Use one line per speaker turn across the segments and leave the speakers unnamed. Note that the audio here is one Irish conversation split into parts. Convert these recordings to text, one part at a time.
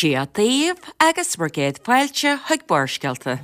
Dia daoibh agus bhur gcéad fáilte chuig Barrscéalta.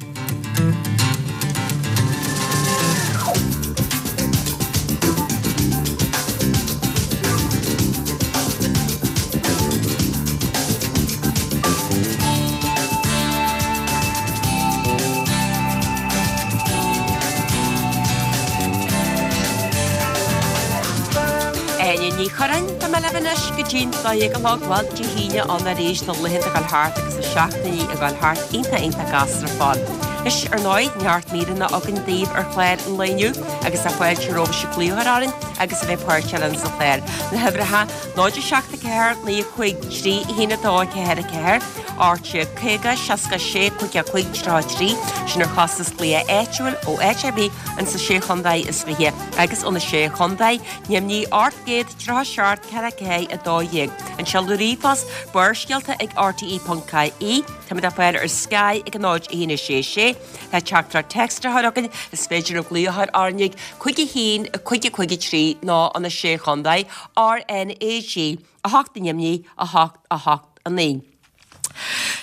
Áine Ní Churráin, Tá mé libh anois go dtí'n 12 a chlog, bhuel, Dé hAoine ann arís, na laethanta ag dul thart agus na seachtainí ag dul thart, iontach iontach gasta ar fad. Anois, ar ndóigh, neart míreanna againn daoibh ar chlár an lae inniu agus tá fáilte romhaibh glaoch a chur orainn agus a bheith páirteach linn sa chlár. Na huimhreacha, 0 7 4 9 5 3 1 2 4 4, 18 50 66 55 33, sin ar chostas glaoch áitiúil ó áit ar bith ins na Sé Chontae is Fiche agus ó na Sé Chontae, Neamhní 837 4 4 12. An seoladh ríomhphost, Barrscéalta ag rte.ie. Táimid le fáil ar Sky ag 0 1 6 6. Le teachtaireacht téacs a chur chugainn, is féidir libh glaoch a chur orainn ag 5 1 5 5 3 nó ó na Sé Chontae, RnaG, 8 i Neamhní, 8 8 9.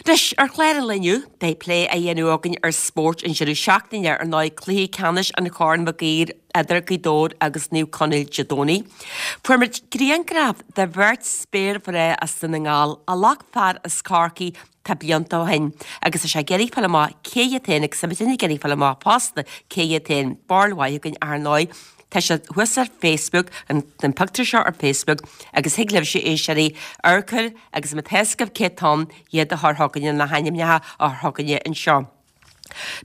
Anois, ar chlár an lae inniu, beidh plé á dhéanamh againn ar spórt an deireadh seachtaine, ar ndóigh, cluiche ceannais an Chorn Mhig Uidhir idir Gaoth Dobhair agus Naomh Conaill Dé Domhnaigh. Fuair muid grianghraf de bheirt spéirmhná as Dún na nGall a ghlac fear as Corcaigh tá blianta ó shin agus tá sé ag iarraidh fáil amach cé hiad féin agus tá muidinne ag iarraidh fáil amach fosta cé hiad féin. Barúil mhaith againn ar ndóigh. Tá sé thuas ar Facebook, an pictiúr seo ar Facebook, agus thig libhse, a éisteoirí, amharc air agus má tá fhios agaibh cé atá ann, iad a chur chugainne, na hainmneacha a chur chugainne anseo.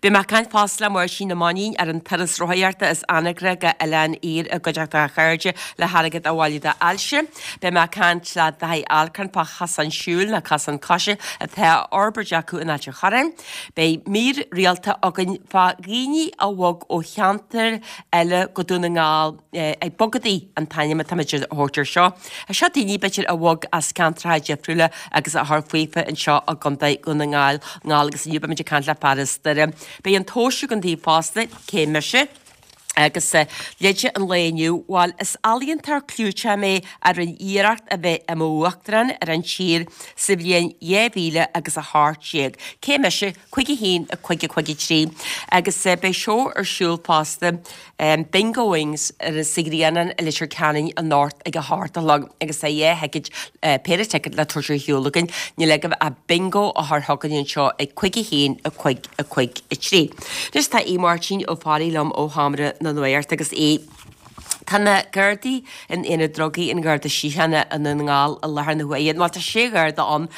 Beidh mé ag caint fosta le Máirtín Ó Mainnín ar an turas rothaíochta as Anagaire go Oileán Iair i gcuideachta a chairde le hairgead a bhailiú d'ailse. Beidh mé ag caint le Daithí Alcorn fá chosán siúil nó cosán coise atá á fhorbairt acu in Ailt an Chorráin. Beidh mír rialta againn fá dhaoine a bhog ó cheantair eile go Dún na nGall, ag bogadaigh an t-ainm atá muid a thabhairt air seo. Seo daoine, b'fhéidir, a bhog as ceantracha difriúla agus a chuir faofa anseo i gContae Dhún na nGall agus inniu beimid ag caint le fear as Doire. Beidh an tomhas againn daoibh fosta, cé mise? Agus leide an lae inniu, bhuel, is ealaíontóir clúiteach mé a rinne iarracht a bheith i m'uachtarán ar an tír sa bhliain 2000 agus 18. Cé mise? 5 1 5 5 3 Agus beidh seó ar siúl fosta, Bingo Wings, sa Ghrianán i Leitir Ceanainn anocht ag a hocht a chlog agus tá dhá thicéad, péire ticéad le tabhairt ar shiúl againn. Níl agaibh ach Bingo a chur chugainn anseo ag 5 1 5 5 3. Anois tá Aodh Máirtín Ó Fearraigh liom ó Sheomra na Nuachta agus Aodh, Tá na Gardaí in Aonad Drugaí an Gharda Síochána i nDún na nGall i láthair na huaire. Bhuel, tá sé Gharda ann.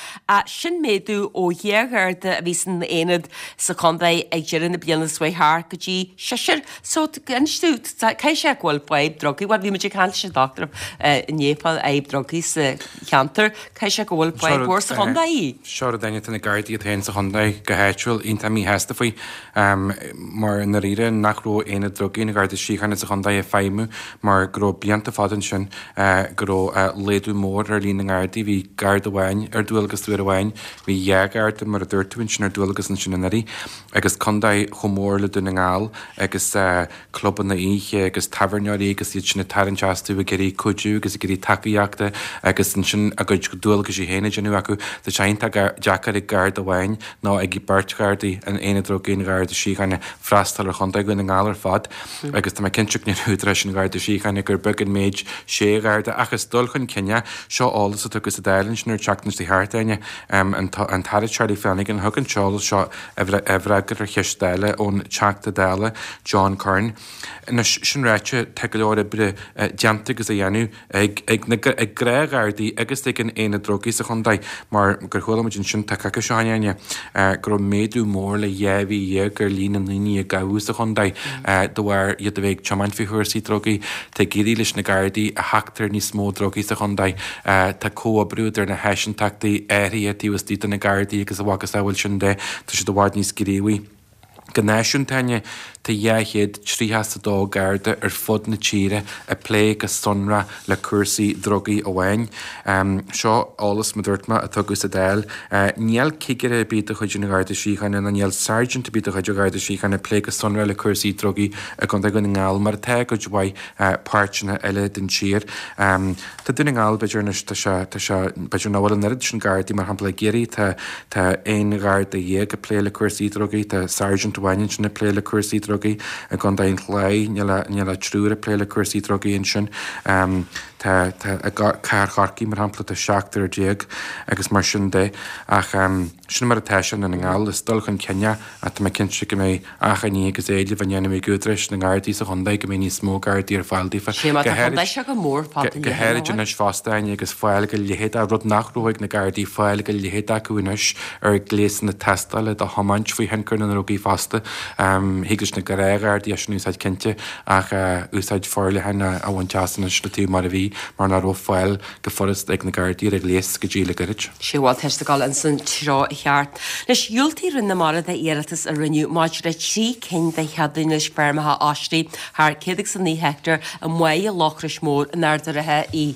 Sin méadú ó dhá Gharda a bhí san aonad sa chontae ag deireadh na bliana seo chuaigh thart go dtí seisear. So, inis tú, caithfidh sé go bhfuil fadhb drugaí, bhuel, bhí muid ag caint leis an dochtúir inné fá fhadhb drugaí sa cheantar, caithfidh sé go bhfuil fadhb mhór sa chontae.
Seo rud éigin, tá na Gardaí iad féin sa chontae go háitiúil iontach míshásta faoi. Mar i ndáiríre nach raibh Aonad Drugaí an Gharda Síochána sa chontae ag feidhmiú mar go raibh blianta fada ansin go raibh laghdú mór ar líon na nGardaí. Bhí Garda amháin ar dualgas uair amháin, bhí dhá Gharda mar a dúirt tú ansin ar dualgas ansin anuraidh agus contae chomh mór le Dún na nGall agus clubanna oíche agus tábhairneoirí agus iad sin ag tarraingt astu ag iarraidh cuidiú agus ag iarraidh tacaíochta agus ansin a gcuid dualgaisí féin a dhéanamh acu. Tá sé iontach deacair ag Garda amháin nó ag beirt Ghardaí in Aonad Drugaí an Gharda Síochána freastal ar Chontae Dhún na nGall ar fad agus tá mé cinnte go ndeir údaráis an Gharda Síochána gur beag an méid sé Gharda ach is dul chun cinn é. Seo eolas a tugadh sa Dáil ansin ar an tseachtain seo thart, Áine. An tAire Charlie Flanagan a thug an t-eolas seo i bhfreagra ar cheist Dála ón Teachta Dála John Curran. Anois, sin ráite, tá go leor oibre déanta agus á dhéanamh ag ag na ag gnáthghardaí agus ag an Aonad Drugaí sa chontae mar gur chuala muid ansin tá coicís ó shin, Áine, go raibh méadú mór le 12 mhí ar líon na ndaoine a gabhadh sa chontae de bharr iad a bheith ag tiomáint faoi chúrsaí drugaí. Tá ag éirí leis na Gardaí a theacht ar níos mó drugaí sa chontae. Tá comhoibriú idir na háiseantachtaí áirithe taobh istigh de na Gardaí agus a mhacasamhail sin de, tá siad i bhfad níos gníomhaí. Go náisiúnta, Áine, tá 232 Garda ar fud na tíre ag plé go sonrath le cúrsaí drugaí amháin. Seo eolas, mar a dúirt mé, a tugadh sa Dáil. Níl cigire ar bith de chuid an Gharda Síochána ná níl sergeant ar bith de chuid an Gharda Síochána ag plé go sonrath le cúrsaí drugaí i gContae Dhún na nGall, mar atá i gcuid mhaith páirteanna eile den tír. Tá Dún na nGall, b'fhéidir anois, tá sé, tá sé, b'fhéidir nach bhfuil an oiread sin Gardaí, mar shampla i gCiarraí tá, tá 11 Gharda ag plé le cúrsaí drugaí, tá Sergeant amháin ansin ag plé le cúrsaí drugaí, i gContae an Chláir níl ach, níl ach triúr ag plé le cúrsaí drugaí ansin. Tá, tá, i gCathair Chorcaí, mar shampla, tá seachtar déag agus mar sin de. Ach sin mar atá sé i nDún na nGall, is dul chun cinn é ach tá mé cinnte go mbeidh achainí agus éilimh á ndéanamh ag údaráis na nGardaí sa chontae go mbeidh níos mó Gardaí ar fáil daofa.
Sé mar tá contae seo go mór fada
Go háirid anois fosta, Áine, agus fáil go leithéid, rud nach raibh ag na Gardaí, fáil go leithéid acu anois ar ghléasanna tástála do thiomáint faoi thionchar na ndrugaí fosta. Thig leis na gnáth-Ghardaí é sin a úsáid cinnte ach úsáid forleathan a bhaint as anois le taobh mar a bhí mar nach raibh fáil go furasta ag na Gardaí ar an ghléas go dtí le gairid.
Sea, bhuel, tá siad ag dul ins an treo cheart. Anois, dhiúltaigh Roinn na Mara d'iarratas a rinneadh maidir le 3 cinn de cheadúnais feirmeacha oisrí thar 109 heicteár i mBáighe Loughros Mór in Ard an Rátha í.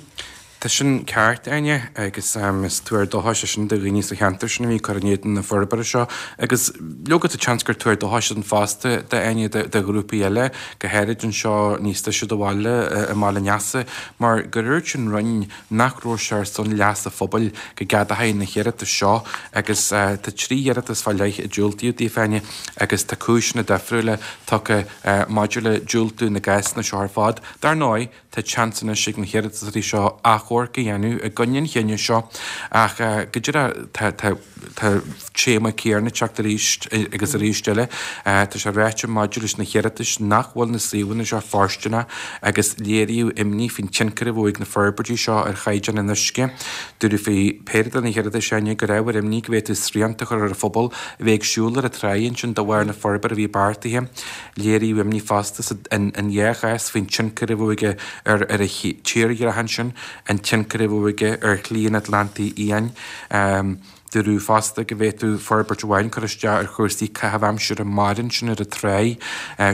Tá sin ceart, Áine, agus is tuar dóchais é sin do dhaoine sa cheantar sin a bhí ag cur in éadan na forbartha seo. Agus leoga tá seans gur tuar dóchais ann fosta d'Áine do ghrúpaí eile, go háirid anseo níos deise do bhaile, i mBaile an Easa, mar gur dhúirt an Roinn nach raibh sé ar son leas an phobail go gceadófaí na hiarratais seo agus tá 3 iarratas fá leith a diúltaíodh daofa, Áine, agus tá cúiseanna difriúla tugtha maidir le diúltú na gcásanna seo ar fad. Dar ndóigh, tá seans anois ag na hiarratasóirí seo achomharc a dhéanamh i gcoinne an chinnidh seo ach go díreach tá tá Tá téama céanna ag teacht arís agus arís eile. Tá sé ráite maidir leis na hiarratais nach bhfuil na suíomhanna seo fóirsteanach agus léiríodh imní faoin tionchar a bheadh ag na forbairtí seo ar chaighdeán an uisce. Dúradh faoi péire de na hiarratais, Áine, gur ábhar imní go bhféadfadh srianta a chur ar an phobal a bheith ag siúl ar an tráigh ansin de bharr na forbartha a bhí beartaithe. Léiríodh imní fosta in dhá chás faoin tionchar a bheadh aige ar an tírdhreach ansin, an tionchar a bheadh aige ar Shlí an Atlantaigh Fhiáin. Dúradh fosta go bhféadfadh forbairt amháin cur isteach ar chúrsaí caitheamh aimsire mara ansin ar an tráigh.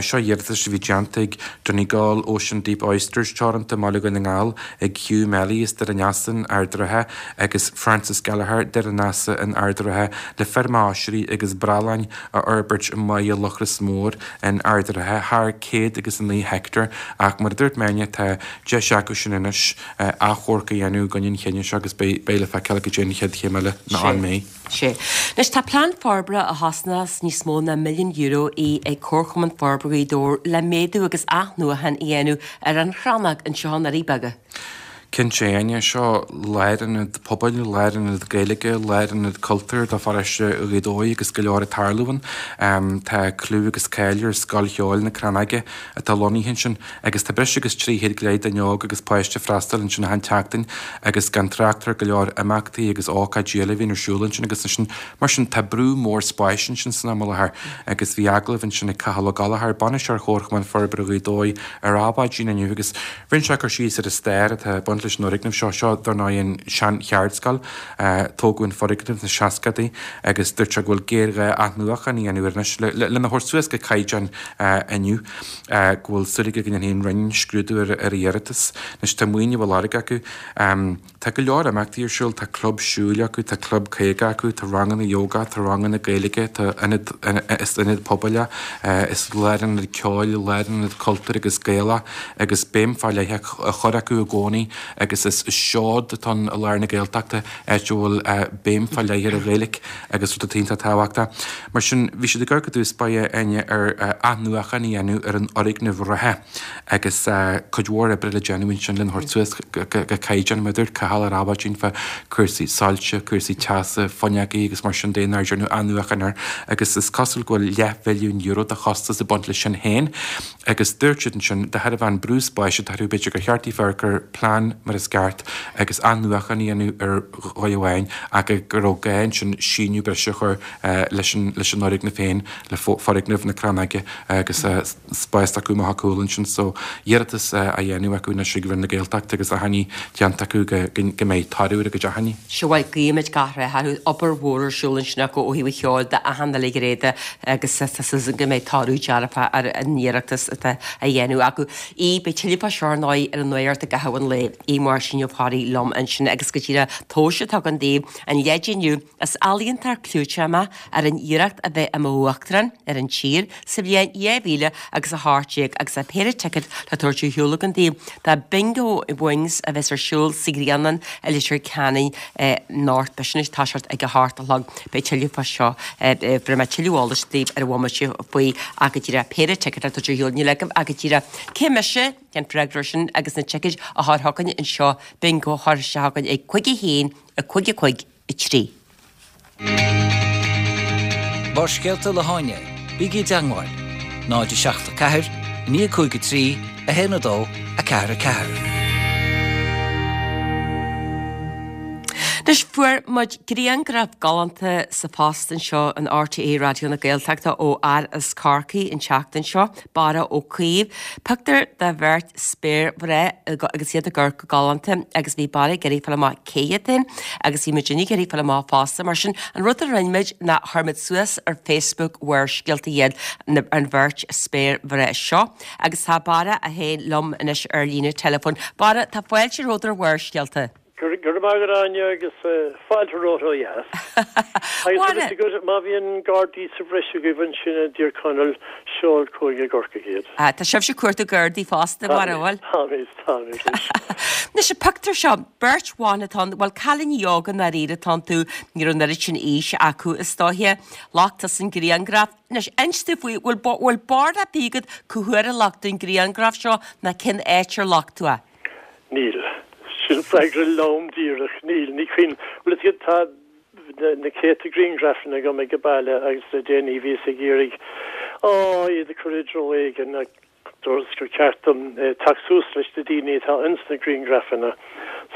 Seo iarratais a bhí déanta ag Donegal Ocean Deep Oysters Teoranta i mBaile Dhún na nGall, ag Hugh Melly as Doire an Easa in Ard an Rátha agus Francis Gallagher, Doire an Easa in Ard an Rátha le feirm oisrí agus brealláin a fhorbairt i mBáighe Loughros Mór in Ard an Rátha, thar 109 heicteár ach mar a dúirt mé, tá deis acu sin anois. achomharc a dhéanamh i gcoinne an chinnidh seo agus beidh le feiceáil cad é an chéad chéim eile nó an mbeidh.
Sea. Anois tá plean forbartha a chosnós níos mó ná €1 milliún í ag Comharchumann Forbartha Ghaoth Dobhair le méadú agus athnuachan a dhéanamh ar an Chrannóg anseo i nDoirí Beaga.
Cinnte, Áine, seo lárionad pobail, lárionad Gaeilge, lárionad cultúir do pharóiste Ghaoth Dobhair agus go leor ag tarlú ann. Tá clú agus cáil ar Scoil Cheoil na Crannóige atá lonnaithe ansin agus tá breis agus 300 go leith duine óg agus páiste ag freastal ansin achan tseachtain agus gan trácht ar go leor imeachtaí agus ócáidí eile a bhíonn ar siúl ansin agus ansin mar sin tá brú mór spáis ansin san am i láthair agus bhí agallamh ansin ag Cathal Ó Gallchóir, Bainisteoir Chomharchumann Forbartha Ghaoth Dobhair ar Adhmhaidin inniu agus rinne sé cur síos ar an stair atá ag baint leis an fhoirgneamh seo. Seo dar ndóigh an sean-cheardscoil. Tógadh an foirgneamh sna seascadaí agus dúirt sé go bhfuil géarghá athnuachan a dhéanamh air anois lena thabhairt suas go caighdeán inniu. Go bhfuil súil aige go ndéanfaidh an Roinn scrúdú ar a iarratas. Anois tá maoiniú á lorg acu. Tá go leor imeachtaí ar siúl, tá club siúil acu, tá club 50 acu, tá ranganna yoga, tá ranganna Gaeilge, tá ionad, is ionad pobail é, is lárionad ceoil, lárionad cultúir agus Gaelach agus béim fá leith á chur acu i gcónaí agus is seod atá ann i lár na Gaeltachta, áit a bhfuil béim fá leith ar an Ghaeilge agus rud atá iontach tábhachtach. Mar sin, bhí siad ag amharc i dtús báire, Áine, ar athnuachan a dhéanamh ar an fhoirgneamh reatha agus cuid mhór oibre le déanamh ansin lena thabhairt suas go caighdeán, mar a dúirt Cathal ar Adhmhaidin fá cúrsaí soilse, cúrsaí teasa, fuinneogaí agus mar sin de nár déanadh athnuachan air agus is cosúil go bhfuil leathmhilliún euro de chostas ag baint leis sin féin agus dúirt siad ansin de thairbhe an brú spáis atá orthu b'fhéidir gur cheart daofa amharc ar plean. mar is ceart agus athnuachan a dhéanamh ar dhóigh amháin ach go raibh gá ansin síneadh breise a chur leis an fhoirgneamh féin, le foirgneamh na Crannóige agus spás acu amach ar cúl ansin so iarratas á dhéanamh acu anois ag Roinn na Gaeltachta agus achainí déanta acu go mbeidh toradh ar a gcuid achainí.
Sea, bhuel, guímid gach rath orthu. Obair mhór ar siúl ansin acu ó thaobh an cheoil de achan uile ghné de agus tá súil againn go mbeidh toradh dearfach ar an iarratas atá á dhéanamh acu. Aodh, beidh tuilleadh fá seo ar ndóigh ar an nuacht i gcaitheamh an lae. Aodh Máirtín Ó Fearraigh liom ansin agus go díreach tomhais atá againn daoibh an leid inniu. Is ealaíontóir clúiteach mé ar an iarracht a bheith i m'uachtarán ar an tír sa bhliain 2000 agus 18 agus tá péire ticéad le tabhairt ar shiúl againn daoibh do Bingo Wings a bheas ar siúl sa Ghrianlann i Leitir Ceanainn anocht. Beidh sin ag toiseacht ag a hocht a chlog. Beidh tuilleadh fá seo, bhéarfaidh mé tuilleadh eolais daoibh ar bhomaite faoi ach go díreach péire ticéad le tabhairt ar shiúl. Níl agaibh ach go díreach cé mise? An freagra air sin agus na ticéid a chur chugainn anseo Bingo a chur isteach chugainn ag 5 1 5 5 3.
Barrscéalta le hÁine, bígí i dteangmháil, 0 7 4 9 5 3 1 2 4 4.
Anois, fuair muid grianghraf galánta sa phost anseo in RTÉ Raidió na Gaeltachta ó fhear as Corcaigh an tseachtain seo, Barra Ó Caoimh. Pictiúr de bheirt spéirmhná agus iad ag amharc go galánta agus bhí Barra ag iarraidh fáil amach cé hiad féin agus bhí muidinne ag iarraidh fáil amach fosta. Mar sin, an rud a rinne muid ná chuir muid suas ar Facebook Bharrscéalta iad, an bheirt spéirmhná seo. Agus tá Barra é féin liom anois ar líne teileafóin. Barra, tá fáilte romhat ar Bharrscéalta.
Go raibh maith agat Áine agus fáilte romhat ó dheas. Agus tá fhios agat má bhíonn Gardaí sa bhreis agaibh ansin i dTír Chonaill, seol chugainn i gCorcaigh iad.
Tá sibhse ag cuartú Gardaí fosta, a Bharra, an bhfuil?
Táimid, táimid
anois. Anois an pictiúr seo, beirt bhan atá ann, bhuel cailíní óga i ndáiríre atá iontu, ní raibh an oiread sin aois acu is dóiche. Ghlac tusa an grianghraf. Anois, inis dúinn faoi, bhfuil, bhfuil barúil ar bith agat cá huair a ghlac tú an grianghraf seo ná cén áit ar ghlac tú é?
Níl. Sin freagra lom díreach. Níl. Ní cuimhin. Bhuel, is iad, tá na céadta grianghrafanna agam ag baile agus le déanaí bhíos ag iarraidh, á, iad a chur i dtreo éigin ach dúras gur ceart dom teacht suas leis na daoine atá ins na grianghrafanna.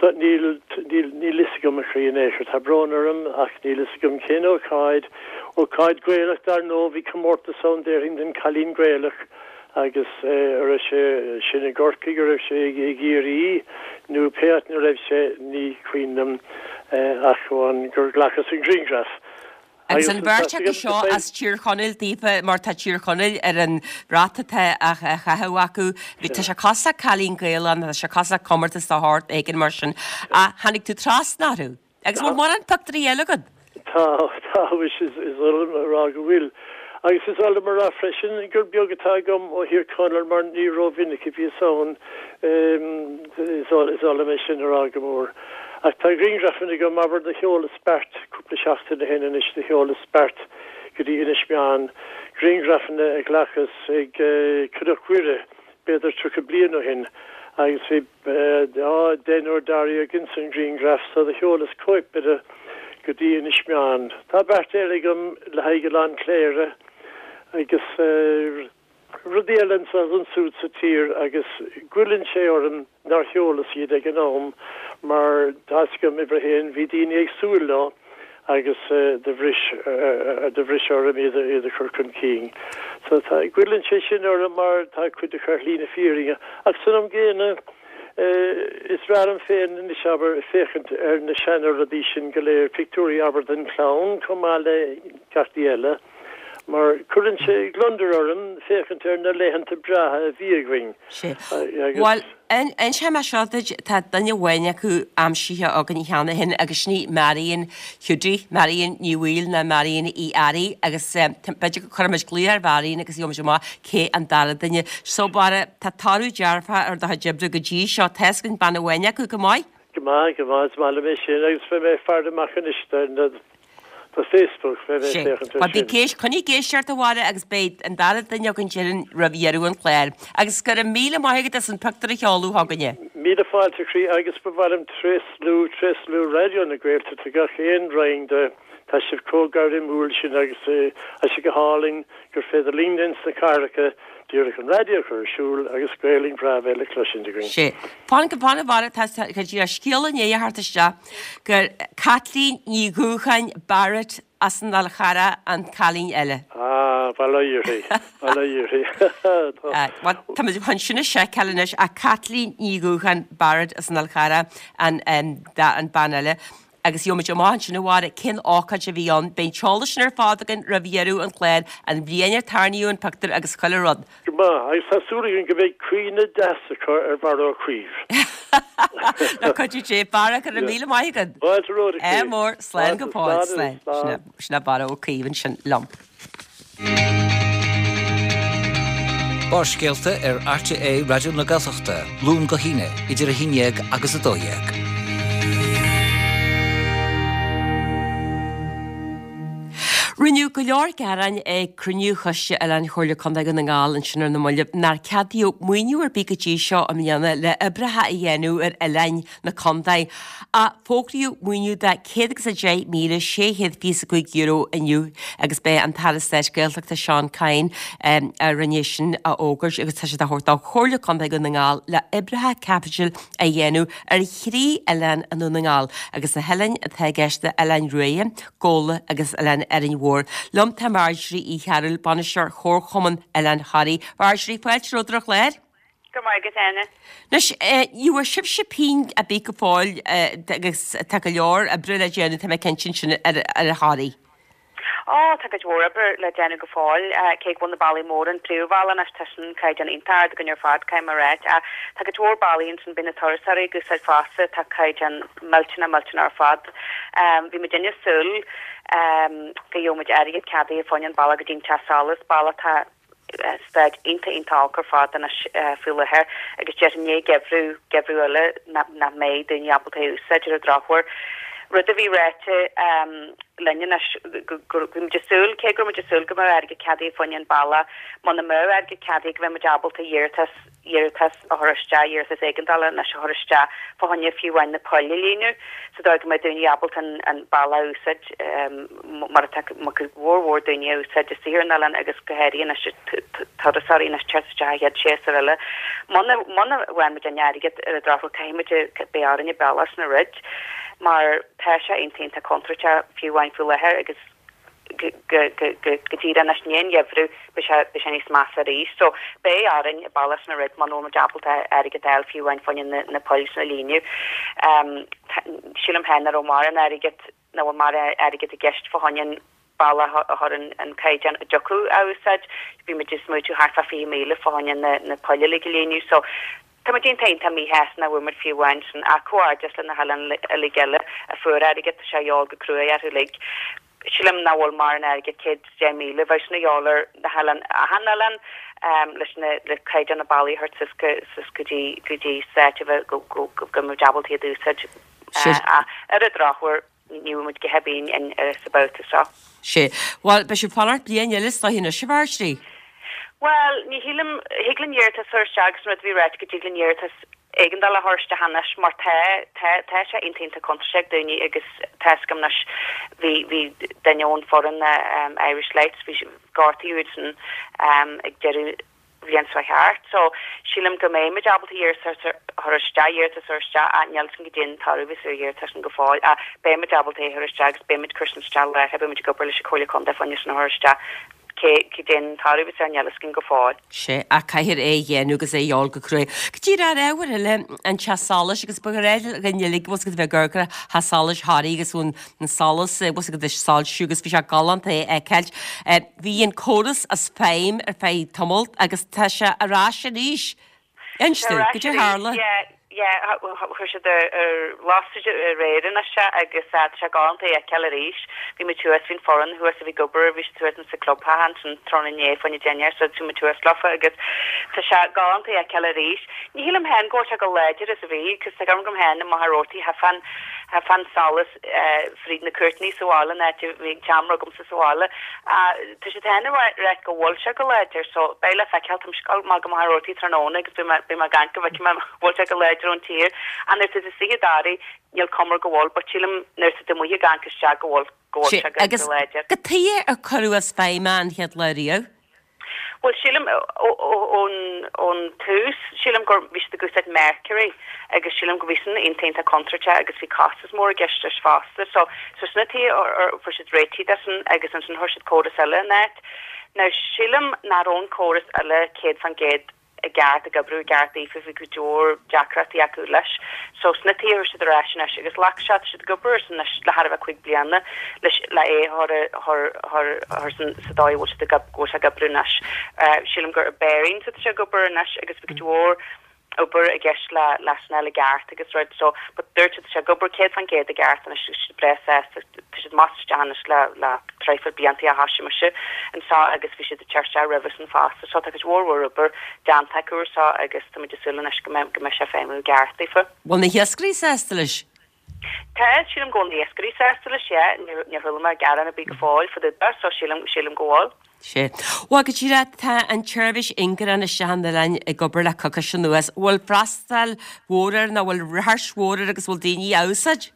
So, níl, níl, níl fhios agam a chroí in aon chor. Tá brón orm ach níl fhios agam cén ócáid. Ócáid Gaelach dar ndóigh, bhí comórtas ann déarfainn don Cailín Gaelach. Agus an raibh sé sin i gCorcaigh, an raibh sé i gCiarraí nó pé áit ina raibh sé, ní cuimhin liom ach amháin gur ghlacas an grianghraf.
Agus an bheirt acu seo as Tír Chonaill daofa, mar tá Tír Chonaill ar an bhrat atá á chaitheamh acu. Tá sé cosúil le Cailín Gaelach nó tá sé cosúil le comórtas de shórt éigin mar sin. Ach tháinig tú trasna orthu. Agus bhfuil mórán pictiúirí eile agat?
Tá, tá, is oth liom a rá go bhfuil. Agus is oth liom a rá freisin gur beag atá agam ó Thír Chonaill mar ní rómhinic a bhíos ann, is oth liom é sin a rá go mór. Ach tá grianghrafanna agam, abair, do sheolas beirt cúpla seachtain ó shin anois, do sheolas beirt go dtí Inis Meáin, grianghrafanna a ghlacas ag Cnoc Mhuire b'fhéidir 30 bliain ó shin agus bhí deichniúr dáréag ins an ghrianghraf so do sheolas cóip de go dtí Inis Meáin. Tá beirt eile agam le haghaidh Oileán Cléire agus rudaí eile anso is ansúd sa tír agus goilleann sé orm nár sheolas iad ag an am mar tá fhios agam uimhir a haon bhí daoine ag súil leo agus do bhris do bhris orm iad iad a chur chun cinn. So tá goilleann sé sin orm mar tá cuid acu ar shlí na fírinne ach san am gcéanna is breá liom féin anois abair féachaint ar na seana rudaí sin go léir, pictiúirí abair den chlann chomh maith le gach ní eile mar cuireann sé gliondar orm féachaint ar na laethanta breátha a bhí againn.
Sea. Bhuel, inseoidh mé seo duit, tá duine amháin acu aimsithe againn cheana féin agus sin í Marion Hiúdaí, Marion Ní Bhaoill nó Marion Uí Fhearraigh agus b'fhéidir go gcuirfimid glaoch ar Mharion agus gheobhaimid amach cé an dara duine. So, Barra, tá toradh dearfach ar do chuid oibre go dtí seo, tá fhios againn bean amháin acu, go maith?
Go maith, go maith, is maith liom é sin agus beidh mé ag faire amach anois do na do Facebook, beidh mé ag féachaint
air sin. Bhuel, coinnigh ag éisteacht a Bharra agus beidh an dara duine againn déarfainn roimh dheireadh an chláir. Agus go raibh míle maith agat as an pictiúr a sheoladh chugainne.
Míle fáilte a chroí agus ba mhaith liom tréaslú, tréaslú Raidió na Gaeltachta gach aon roinn de. Tá sibh chomh gairmiúil sin agus tá sé go hálainn gur féidir linn ins na cathracha díreach an raidió a chur ar siúl agus Gaelainn bhreá bheith le cloisint againn.
Sea. Fan go fan a Bharra, tá scéala i ndiaidh a theacht isteach gur Caitlín Ní Dhúcháin Barrett as an Fhál Charrach an cailín eile.
Ah, bail ó Dhia uirthi, bail ó Dhia uirthi.
Bhuel, tá muid chun sin a sheiceáil anois ach Caitlín Ní Dhúcháin Barrett as an Fhál Charrach an an bean eile. Agus gheobhaimid amach ansin a Mháire cén ócáid a bhí ann. Beidh an t-eolas sin ar fad againn roimh dheireadh an chláir, an bhliain ar tarraingíodh an pictiúr agus chuile rud.
Go maith, agus tá súil againn go mbeidh cuimhne deas acu ar Bharra Ó Caoimh.
Le cuidiú Dé. Barra, go raibh míle maith agat.
Fáilte romhat, a
Ádh
Chaoimh.
mór, slán go fóill,
Slán,
slán.
slán.
Sin é Barra Ó Caoimh ansin liom.
Barrscéalta ar RTÉ Raidió na Gaeltachta, Luan go hAoine, idir 11 agus 12.
Rinneadh go leor gearáin ag cruinniú Choiste Oileáin Chomhairle Contae Dhún na nGall ansin ar na mallaibh nár ceadaíodh maoiniú ar bith go dtí seo i mbliana le oibreacha a dhéanamh ar oileáin na contae. Ach fógraíodh maoiniú de €110,625 inniu agus b'é an tAire Stáit Gaeltachta Seán Kyne a rinne sin a fhógairt agus tá sé á thabhairt do Chomhairle Contae Dhún na nGall le oibreacha caipitil a dhéanamh ar thrí oileán i nDún na nGall agus na hoileáin atá i gceist ná Oileán Ruaidhe, Gabhla agus Oileán Árainn Mhór. Liom tá Marjorie Uí Chearúil, Bainisteoir Chomharchumann Oileán Thoraí. Marjorie, fáilte romhat ar an chlár.
Go raibh maith agat, Áine.
Anois, ní bhfuair sibhse pingin ar bith go fóill agus tá go leor oibre le déanamh, tá mé cinnte ansin ar Thoraigh.
Ó, tá cuid mhór oibre le déanamh go fóill, cé go bhfuil na bealaí móra, an príomhbhealach anois, tá sin caighdeán iontach ard againn ar fad, caithfidh mé a ráit. Ach tá cuid mhór bealaí ansin, beidh na turasóirí ag úsáid fosta, tá caighdeán millteanach, millteanach ar fad. Bhí muidinne ag súil go gheobhadh muid airgead ceadaithe fá choinne an bealach go dtí an teach solais, bealach atá staid iontach iontach olc ar fad anois faoi láthair agus déarfainn i ndiaidh geimhreadh, geimhreadh eile nach mbeidh daoine ábalta é a úsáid ar an drochuair. Rud a bhí ráite linn anois go go bhí muid ag súil, cé go raibh muid ag súil go mbeadh airgead ceadaithe fá choinne an bealach, muna mbeadh airgead ceadaithe go mbeadh muid ábalta iarratas iarratas a chur isteach, iarratas éigeandála anois a chur isteach fá choinne fiú amháin na poill a líonadh sa dóigh go mbeidh daoine ábalta an bealach a úsáid mar atá cuid mhór mhór daoine a úsáid istigh ar an oileán agus go háirithe anois turasóirí anois teacht isteach an chéad séasúr eile. Muna muna bhfaigheann muid an airgead ar an drochuair caithfidh muid beidh orainn an bealach sin a dhruid mar tá sé iontach iontach contúirteach fiú amháin faoi láthair agus go díreach anois i ndiaidh an gheimhridh, beidh sé, beidh sé níos measa arís. So, beidh orainn an bealach sin a dhruid muna bhfuil muid ábalta airgead a fháil fiú amháin fá choinne na, na poill sin a líonadh. Sílim féin nach raibh mórán airgead, nach bhfuil mórán airgead i gceist fá choinne an bealach a chur ar an caighdeán a dtiocfadh a úsáid. Bhí muid ag smaoitiú thart fá 20,000 fá choinne na, na poill uilig a líonadh. So, Tá muid iontach iontach míshásta nach bhfuair muid fiú amháin sin ach comhghairdeas le na hoileáin uilig eile a fuair airgead, tá sé a dhíobháil go cruaidh orthu uilig. Sílim nach bhfuil mórán airgead, 110,000, bheadh sin a dhíobháil ar na hoileáin, achan oileán leis na, le caighdeán na bealaí a thabhairt suas go, suas go dtí, go dtí staid a bheith go, go, go mbeadh muid ábalta iad a úsáid. Ach ar an drochuair, ní bhfuair muid a dhath ar bith sa babhta seo.
Sea. Bhuel, beidh sibh ag fanacht bliain eile is dóiche anois, a Mharjorie?
Bhuel, ní shílim, thig linn iarratas a chur isteach agus an rud a bhí ráite go dtig linn iarratas éigeandála a chur isteach anois mar tá, tá, tá sé iontach iontach contúirteach ag daoine agus tá 'fhios agam anois bhí, bhí duine ón foireann Irish Lights, bhí, gortaíodh iad sin ag deireadh bhliain seo thart. So, sílim go mbeidh muid ábalta iarratas a chur isteach, iarratas a chur isteach, ach níl 'fhios agam goidé an toradh a bheas ar an iarratas sin go fóill, ach beidh muid ábalta é a chur isteach agus beidh muid ag cur sin isteach láithreach, beidh muid ag obair leis an Chomhairle Contae fá choinne sin a chur isteach. Cé, goidé an toradh a bheas air, níl 'fhios againn go fóill.
Sea, ach caithfear é a dhéanamh agus é a dhíobháil go cruaidh. Go díreach ar ábhar eile, an teach solais agus ba ghnách linn uilig, bhfuil 'fhios agat a bheith ag amharc ar theach solais Thoraí agus an solas, bhfuil 'fhios agat ag soilsiú agus bhí sé galánta é a fheiceáilt. Bhí an córas as feidhm ar feadh tamaill agus tá sé ar ais arís. Inis
Tá ar
dom,
ais
goidé a
arís,
tharla?
yeah, yeah, chuir siad ar, ar las aréir anois é agus tá sé galánta é a fheiceáil arís. Bhí muid thuas, bhí an foireann thuas a bhí ag obair, bhí siad thuas insa clubtheach ansin tráthnóna inné fá choinne dinnéar so bhí muid thuas leofa agus tá sé galánta é a fheiceáil arís. Ní shílim féin go bhfuil sé chomh láidir is a bhí, cos tá cuimhne agam féin i Machaire Rabhartaigh, theifeadh an, theifeadh an solas fríd na cúirteanna sa bhaile, an áit a bhí an tseomra agamsa sa bhaile. Tá siad féin ag ráit go bhfuil sé chomh láidir so beidh le feiceáil. Táimse ag dul amach go Machaire Rabhartaigh tráthnóna agus beidh mé, beidh mé ag amharc go bhfeicfidh mé an bhfuil sé chomh láidir. láidir ón tír. Ach nuair atá tú istigh i dToraigh, níl cuma air go bhfuil, but sílim nuair atá tú amuigh ag amharc isteach go bhfuil, go bhfuil sé go,
Agus
go láidir.
cad chuige ar cuireadh as feidhm é an chéad lá riamh?
Bhuel, sílim, ón tús, sílim gur, bhí siad ag úsáid mercury agus sílim go bhí sin iontach iontach contúirteach agus bhí costas mór i gceist leis fosta. So, so sin an tuige ar fuair siad réitithe de sin agus ansin chuir siad córas eile in áit. Now, sílim nach raibh an córas eile 100% i gceart, ag oibriú i gceart daofa, bhí go leor deacrachtaí acu leis. So sin an tuige a chuir siad ar ais anois agus ghlac sé, tá siad ag obair air sin anois le thar a bheith 5 bliana leis le é a chur chur chur chur san sa dóigh a bhfuil siad ag go bhfuil sé ag oibriú anois. Sílim gur i Barings atá sé ag obair anois agus bhí go leor obair i gceist le leis an eile i gceart agus rud so but dúirt siad tá sé ag obair 100% i gceart anois agus siad breá sásta tá siad amach is isteach anois le le traidhfil blianta ó thoisigh mise anseo agus bhí siad ag teacht isteach roimhe sin fosta so tá cuid mhór mhór obair déanta acu air seo agus táimid ag súil anois go mbeidh go mbeidh sé ag feidhmiú i gceart daofa.
Bhfuil na hiascairí sásta leis?
Tá, sílim go bhfuil na hiascairí sásta leis, yeah, níor níor chuala mé gearán ar bith go fóill fá dtaobh de so sílim sílim go bhfuil.
Sea. Bhuel, go díreach, tá an tseirbhís ingearán isteach an oileáin ag obair le coicís anuas. Bhfuil freastal mhór air nó bhfuil ráchairt mhór air agus bhfuil daoine á úsáid?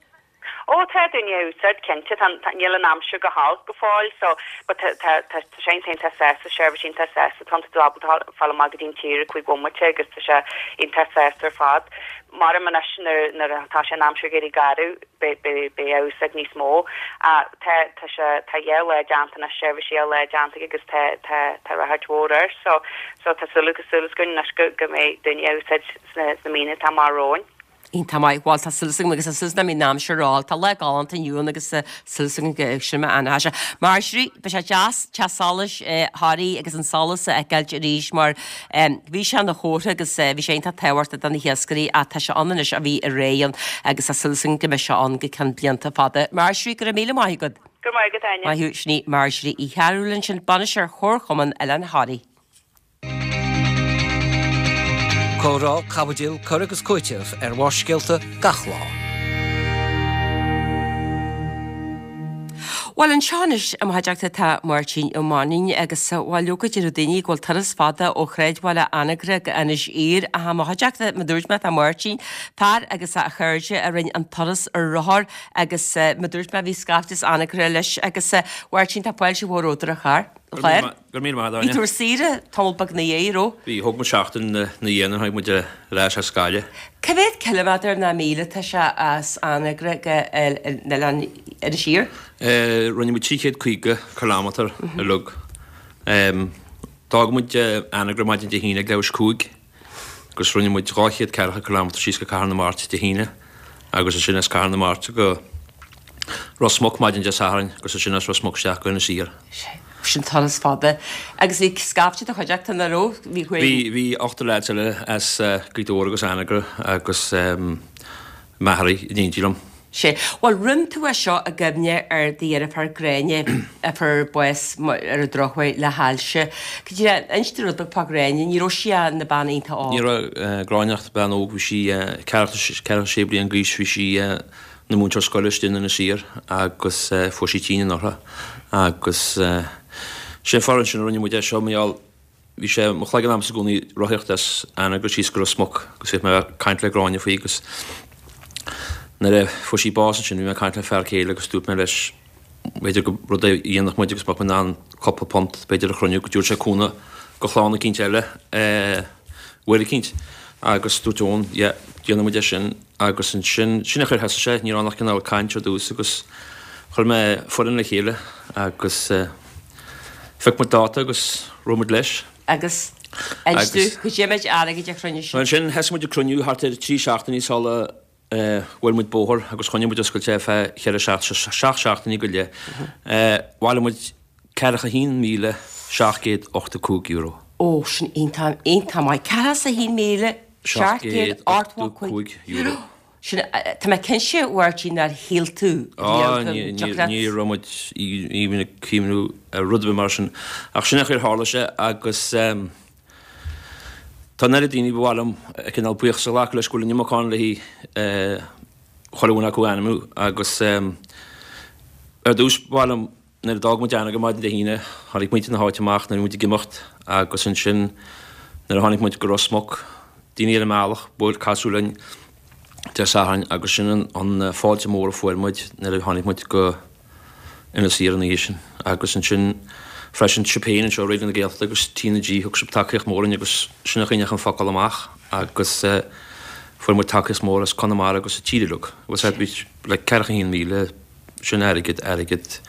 Ó, tá daoine á úsáid, cinnte. Tá, tá, níl an aimsir go holc go fóill so, but tá, tá, tá, tá sé iontach, iontach sásta, seirbhís iontach sásta. Tá tú ábalta fáil amach go dtí an tír i gcúig bhomaite agus tá sé iontach sásta ar fad. Maram anois nuair, nuair atá sé an aimsir ag éirí garbh, beidh, beidh, beidh á úsáid níos mó. Ach tá, tá sé, tá dhá lá déanta anois, seirbhís dhá lá déanta agus tá, tá, tá ráchairt mhór air so, so tá súil, súil againn anois go, go mbeidh daoine á úsáid sna, sna míonna atá amach romhainn.
Iontach maith. Bhuel, tá súil agam agus tá súil agam nach mbeidh an aimsir ró-olc. Tá lá galánta inniu ann agus tá súil agam go sin mar atá sé. Marjorie, beidh sé deas teach solais Thoraí agus an solas a fheiceáilt arís mar bhí sé ina chomhartha agus bhí sé iontach tábhachtach do na hiascairí ach tá sé ann anois ó bhí ré ann agus tá súil agam go mbeidh sé ann go ceann blianta fada. Marjorie, go raibh míle maith agat.
Go raibh maith agat, Áine.
Maith thú. Sin í Marjorie Uí Chearúil ansin, Bainisteoir Chomharchumann Oileán Thoraí.
Comhrá, caibidil, cur agus cúiteamh ar Bharrscéalta gach lá.
Bhuel, anseo anois i mo chuideachta tá Máirtín Ó Mainnín agus, bhuel, leoga déarfadh daoine go bhfuil turas fada ó shráidbhaile Anagaire go Inis Oírr ach i mo chuideachta, mar dúirt mé, tá Máirtín, fear agus a chairde a rinne an turas ar rothar agus, mar dúirt mé, bhí scaifte as Anagaire leis agus, Mháirtín, tá fáilte mhór romhat ar an chlár.
Go raibh míle maith agat,
Bhí tú ar saoire tamall beag ina dhiaidh, raibh?
Bhí, thóg muid seachtain ina dhiaidh nuair a tháinig muid ar ais as Gaillimh.
Cá mhéad ciliméadar ná míle atá sé as Anagaire go Oileán Inis Oírr?
Rinne muid 350 kilometre uilig. D'fhág muid Anagaire maidin Dé hAoine ag leathuair tar éis 5 agus rinne muid 200 ceathracha kilometre síos go Cathair na Mart Dé hAoine agus ansin as Cathair na Mart go Ros Muc maidin Dé Sathairn agus ansin as Ros Muc isteach go Inis Oírr.
Sin turas fada. Agus bhí scaifte i do chuideachta, nach raibh?
Bhí, bhí, bhí ochtar leaids eile as Gaoth Dobhair agus Anagaire agus m'athair in éindí liom.
Sea. Bhuel, rinne tú é seo i gcuimhne ar do dheirfiúr Gráinne a fuair bás ar an drochuair le hailse. Go díreach, inis dúinn rud beag fá Ghráinne, ní raibh sí ach ina bean iontach óg.
Ní raibh Gráinne ach bean óg, bhí sí ceathracha sé bliain d'aois, bhí sí ina múinteoir scoile istigh in Inis Oírr agus fuair sí tinn anuraidh agus sin fáth ansin a rinne muid é seo, mar gheall Bhí sé i mo chloigeann agamsa i gcónaí rothaíocht as Anagaire síos go Ros Muc agus bhíodh mé ag caint le Gráinne faoi agus nuair a fuair sí bás ansin bhí mé ag caint le fear céile agus dúirt mé leis b'fhéidir gur rud é a dhéanfadh muid agus mbeadh muid in ann cúpla punt b'fhéidir a chruinniú go dtabharfadh sé cúnamh go chlann eicínt eile uair eicínt agus dúirt Eoin yeah déanfaidh muid é sin agus ansin sin an chaoi ar thosaigh sé ní raibh ann ach cineál caint ar dtús agus chuir mé foireann le chéile agus Phioc muid dáta agus rith muid leis.
Agus inis dúinn, cad é méid airgid a chruinnigh
sibh? Ansin thosaigh muid ag cruinniú thart ar trí seachtainí sula bhuail muid bóthar agus choinnigh muid oscailte ar feadh cheithre seachtaine, seacht seachtainí go leith. Bhailigh muid €41,785.
Ó, sin iontach, iontach maith. €41,785. Sin, tá mé cinnte, a Mháirtín, nár shíl tú
riamh go dtiocfadh leat. Ní raibh muid even ag cuimhniú ar rud ar bith mar sin. Ach sin an chaoi ar tharla sé agus tá an oiread daoine ba mhaith liom cineál buíochas a ghlacadh leis go bhfuil an iomarca ann le chuile dhuine acu a ainmniú agus ar dtús ba mhaith liom Nuair a d'fhág muid Anagaire maidin Dé hAoine, tháinig muintir na háite amach nuair a bhí muid ag imeacht agus ansin nuair a tháinig muid go Ros Muc, daoine ar an mbealach, bhuail, casadh linn. Dé Sathairn agus sin an fáilte mór a fuair muid nuair a tháinig muid go Inis Oírr an oíche sin. Agus ansin freisin sibh féin anseo, Raidió na Gaeltachta agus TnaG, thug sibh tacaíocht mhór dúinn agus sin a choinnigh an focal amach agus fuair muid tacaíocht mhór as Conamara agus an tír uilig. Bhuel sea, bhí like 41,000, sin airgead, airgead.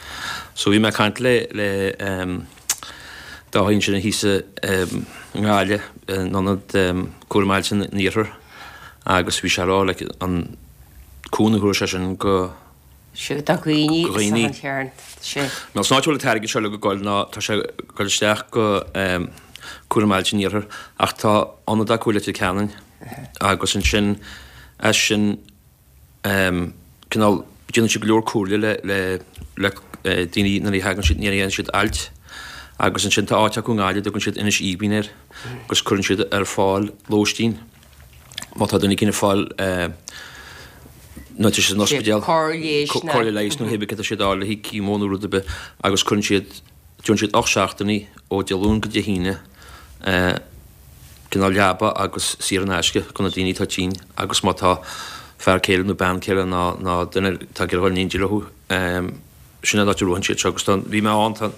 So bhí mé ag caint le, le Dáithí ansin thíos i nGaillimh, in ionad cúraim ailse an Iarthair agus bhí sé ag rá like an cúnamh a thabharfaidh sé sin go
Sea, do dhaoine is dócha an chearn. Sea.
Nó san áit a bhfuil an t-airgead seo uilig ag goil ná tá sé ag goil isteach go Cúram Ailse an Iarthair ach tá ionad acu i Leitir Ceanainn agus ansin as sin cineál déanann siad go leor comhairle le le le daoine nuair a thagann siad nuair a dhéanann siad ailt agus ansin tá áit acu i nGaillimh a dtugann siad Inis Aoibhinn air agus cuireann siad ar fáil lóistín. Má tá duine éicint ag fáil nó tá siad san ospidéal, cóir leighis nó cibé cad atá siad a fháil le haghaidh chemo nó rud ar bith agus cuireann siad, déanann siad 8 seachtainí ó Dé Luain go Dé hAoine cineál leaba agus saor in aisce do na daoine atá tinn agus má tá fear céile nó bean céile nó nó duine atá ag iarraidh dhul in éindí leo sin an áit a raghann siad seo agus tá, bhí mé ann, tá,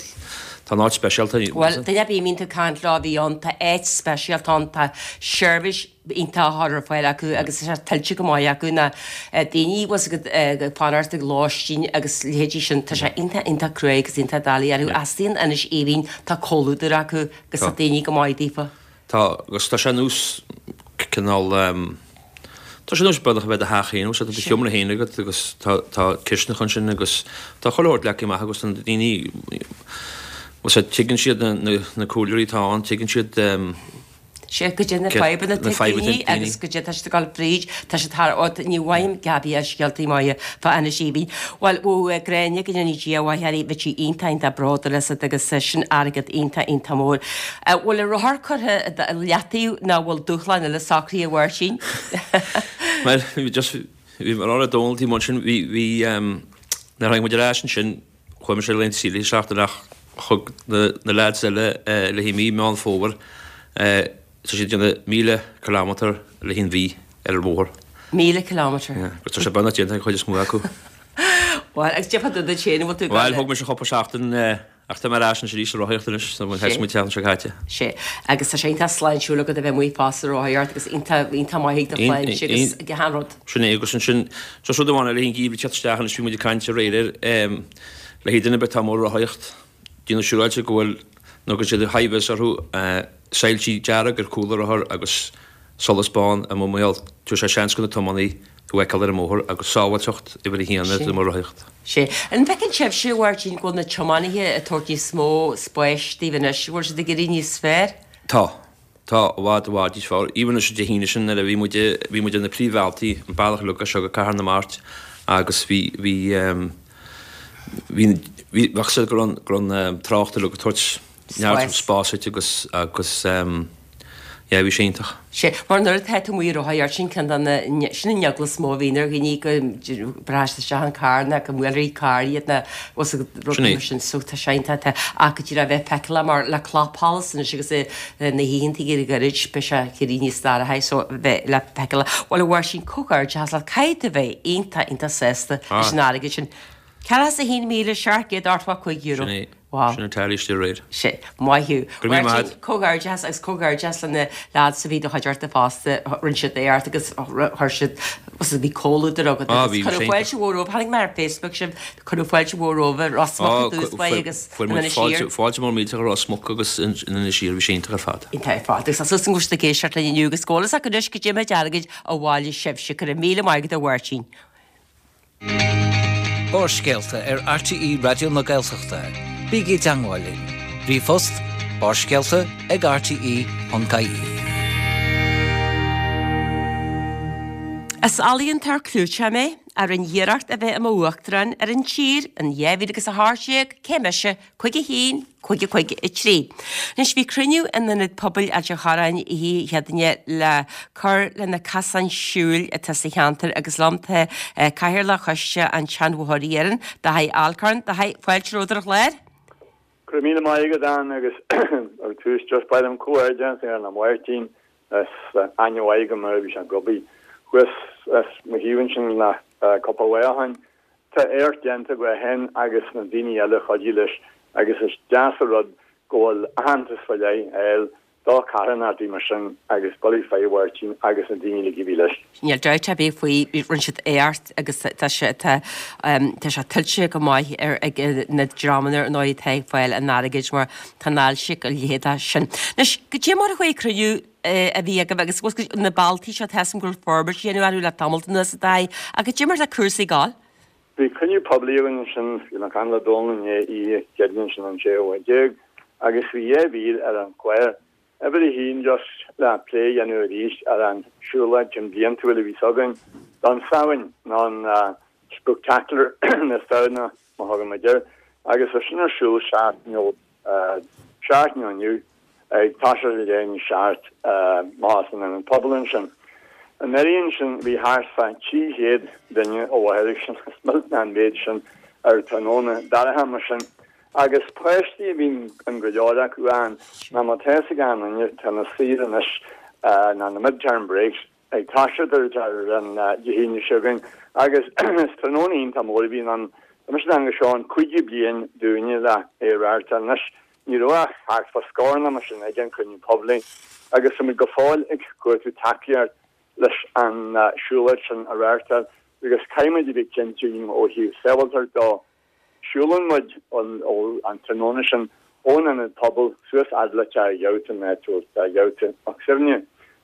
tá an áit speisialta.
Bhuel, duine ar bith a mbíonn tú ag caint leo a bhí ann, tá áit speisialta ann, tá seirbhís iontach á chur ar fáil acu agus tá sé tuillte go maith acu na daoine bhfuil siad ag fanacht ag lóistín agus leithéidí sin, tá sé iontach, iontach cruaidh agus iontach doiligh orthu. Istigh in Inis Aoibhinn, tá comhluadar acu agus tá daoine go maith daofa.
Tá, agus tá sé ar nós cineál, tá sé ar nós beagnach a bheith i do theach féin, tá do sheomra féin agat agus tá, tá cistineach ansin agus tá chuile shórt leagtha amach agus tá na daoine, bhuel sea, tuigeann siad na, na, na comhairleoirí atá ann, tuigeann siad
Sea, goidé na fadhbanna atá ag daoine agus goidé atá siad ag dul fríd, tá siad thar, ó, ní bhfaighim Gabi as scéaltaí maithe fá Inis Aoibhinn. Bhuel, bheadh Gráinne, go ndéana Dia a mhaith uirthi, bheadh sí iontach, iontach bródúil asat agus sin airgead iontach, iontach mór. An bhfuil an rothar curtha i leataobh nó an bhfuil dúshlán eile socraithe a Mháirtín?
Bhuel, bhí just, bhí mé ag rá le Dónal taobh amuigh ansin, bhí, bhí, nuair a tháinig muid ar ais ansin, chuaigh mise ar laethanta saoire seachtain ach thug na, na lads eile le haghaidh mí Meán Fómhair, tá siad ag déanamh 1,000 kilometre le haghaidh an mhí ar an bhóthar.
1,000 kilometre.
Yeah, agus tá sé beagnach déanta ag an chuid is mó acu.
Bhuel, agus cad fá dtaobh duit féin, an bhfuil tú ag
Bhuel, thóg mise cúpla seachtain, Ach tá mé ar ais anois arís sa rothaíocht anois, so thosaigh muid an tseachtain seo caite.
Sea, agus tá sé iontach sláintiúil agat a bheith amuigh fosta ag rothaíocht agus iontach, iontach maith ag do shláinte agus ag achan rud.
Sin é, agus ansin, just rud amháin eile, an geimhreadh ag teacht isteach anois, bhí muid ag caint aréir air, le haghaidh duine ar bith atá amuigh ag rothaíocht, déanamh siúráilte go bhfuil, nó go siad high vis orthu, soilsí dearg ar chúl an rothar agus solas bán amuigh mar gheall, tabharfaidh sé seans do na tiománaí thú a fheiceáil ar an mbóthar agus sábháilteacht uimhir a haon ar do rothaíocht.
Sea. An bhfeiceann sibhse, a Mháirtín, go bhfuil na tiománaithe ag tabhairt níos mó spáis daoibh anois, an bhfuil siad ag éirí níos fearr?
Tá. Tá, i bhfad, i bhfad níos fearr. Even anois Dé hAoine sin nuair a bhí muid, bhí muid ar na príomhbhealtaí, an bealach uilig as seo go Cathair na Mart agus bhí, bhí, bhí, bhí, bheadh siad go raibh an, go raibh an trácht uilig ag tabhairt neart spáis duit agus, agus yeah bhí sé iontach.
Sea, mar nuair atá tú amuigh ag rothaíocht, sin ceann de na, sin an eagla is mó a bhíonn ar dhaoine go mbreacfá isteach an carr nó go mbuailfí carr iad nó bhfuil a fhios agat rud mar sin so tá sé iontach tá ach go díreach a bheith feiceálach mar le clapsholas anois agus na hoícheanta ag éirí gairid beidh sé ag éirí níos dorcha so bheith le feiceálach. Bhuel a Mháirtín comhghairdeachas leat caithfidh tú a bheith iontach iontach sásta leis an airgead sin. €41,785.
Sin é.
Wow.
Sin an tally istigh aréir.
Sea. Maith thú.
Go raibh míle maith
agat. Comhghairdeachas agus comhghairdeachas le na lads a bhí i do chuideachta fosta. Rinne siad éacht agus chuir siad, was bhí comhluadar agat
Ah,
agus
bhí, bhí
cuireadh
sé
fáilte mhór romhaibh. Chonaic mé ar Facebook sibh, cuireadh fáilte mhór romhaibh i Ros Muc
Ah,
i dtús báire agus
fuair
in
muid
Inis
fáilte,
Oírr.
fáilte mór millteach i Ros Muc agus in Inis Oírr, bhí sé iontach ar fad.
Iontach ar fad. Agus tá súil agam go bhfuil siad ag éisteacht linn inniu agus go bhfuil fhios acu anois goidé méid airgid a bhailigh sibhse. Go raibh míle maith agat a Mháirtín.
Barrscéalta ar RTÉ Raidió na Gaeltachta. Bígí i dteangmháil linn. Ríomhphost, barrscéalta ag rte.ie.
Is ealaíontóir clúiteach mé, a rinne iarracht a bheith i m'uachtarán ar an tír in 2018, cé mise? 51, 5, 5, 3. Anois bhí cruinniú in Ionad Pobail Ailt an Chorráin oíche Chéadaoine le cur le na casáin siúil atá sa cheantar agus liom tá Cathaoirleach Choiste an tSeanbhóthair Iarainn, Dáithí Alcorn. Dáithí, fáilte romhat ar an chlár.
Go raibh míle maith agat, Ann, agus ar dtús just ba mhaith liom comhghairdeas a dhéanamh le Máirtín Is aithne mhaith agam air, bhí sé ag obair. Thuas as mo thaobh ansin le cúpla lá ó shin. Tá éacht déanta aige féin agus na daoine eile a chuidigh leis agus is deas an rud go bhfuil aitheantas fá leith á fháil do charthanachtaí mar sin agus Billy Phaidí Mháirtín agus na daoine uilig a bhí leis.
Níl dabht ar bith faoi, rinne siad éacht agus tá sé tá tá sé tuillte go maith ar ag na dreamanna ar ndóigh atá ag fáil an airgid mar tá an ailse go leithéid sin. Anois, goidé mar a chuaigh cruinniú a bhí agaibh agus na bealtaí seo tá a fhios agam go bhfuil forbairt á dhéanamh orthu le tamall anuas a Dháithí ach goidé mar atá cúrsaí ag gabháil?
Bhí cruinniú poiblí againn ansin, bhí mé ag caint le Dónal inné oíche Chéadaoin ansin an séú lá déag agus bhí dhá mhír ar an chlár. Uimhir a haon just le plé a dhéanamh arís ar an siúlóid cinn bliantúil a bhíos againn don Samhain nó an Spooktacular na Samhna mar thugann muid air agus tá sin ar siúl seachtain ó seachtain ó inniu ag toiseacht ar leath i ndiaidh a seacht amach san ionad pobail ansin. Anuraidh ansin bhí thart fá 300 duine i láthair ag sin, is millteanach an méid sin ar tráthnóna dorcha mar sin. Agus páistí a bhí in go leor acu ann, ná má tá fhios ag aon duine tá na saoire anois ná na mid-term breaks ag toiseacht ar an Dé hAoine seo chugainn agus is tráthnóna iontach mór a bhíonn ann. Tá mise in ann go seo an cúigiú bliain dúinne le é a reáchtáil anois. Ní raibh ach thart fá scór nó mar sin ag an chruinniú poiblí agus tá muid go fóill ag cuartú tacaíocht leis an siúlóid sin a reáchtáil agus caithfidh muid a bheith cinnte ó thaobh sábháilteacht dó. Siúlann muid an tráthnóna sin ón ionad pobail suas fhad le Teach Ghabhta, an áit a bhfuil Teach Ghabhta Mac Suibhne.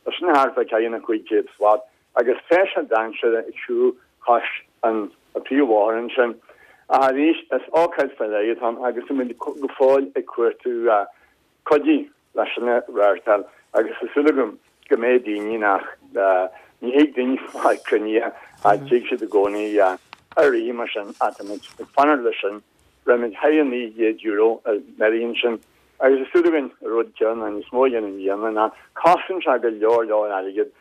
Tá sin thart fá ceathracha nó 500 slat agus tá sé dainséarach ag siúl cois an príomhbhóthair ansin. Ach arís, is ócáid fá leith atá ann agus tá muid go fóill ag cuartú cuidiú leis sin a reáchtáil agus tá súil agam go mbeidh daoine nach ní thig daoine fáil cruinnithe ach tig siad i gcónaí ar rith mar sin ach tá muid ag fanacht leis sin. Rinne muid thar €900 anuraidh ansin agus tá súil againn an rud céanna níos mó a dhéanamh i mbliana ná cosnaíonn sé go leor leor airgead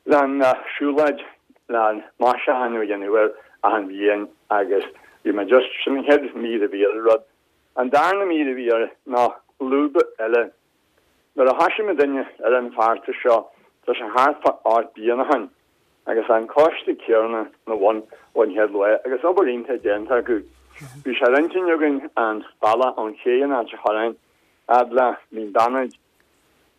leis an siúlóid le maisiúchán a dhéanamh air achan bhliain agus bhí muid just sin an chéad mír a bhí ar an rud. An darna mír a bhí air ná lúb eile. Nuair a thoisigh muidinne ar an bhfeachtas seo tá sé thart fá 8 bliana ó shin agus an coiste céanna ina bhun ón chéad lá agus obair iontach déanta acu. Bhí sé ar intinn againn an bealach ón ché in Ailt an Chorráin fhad le Mín Beannaid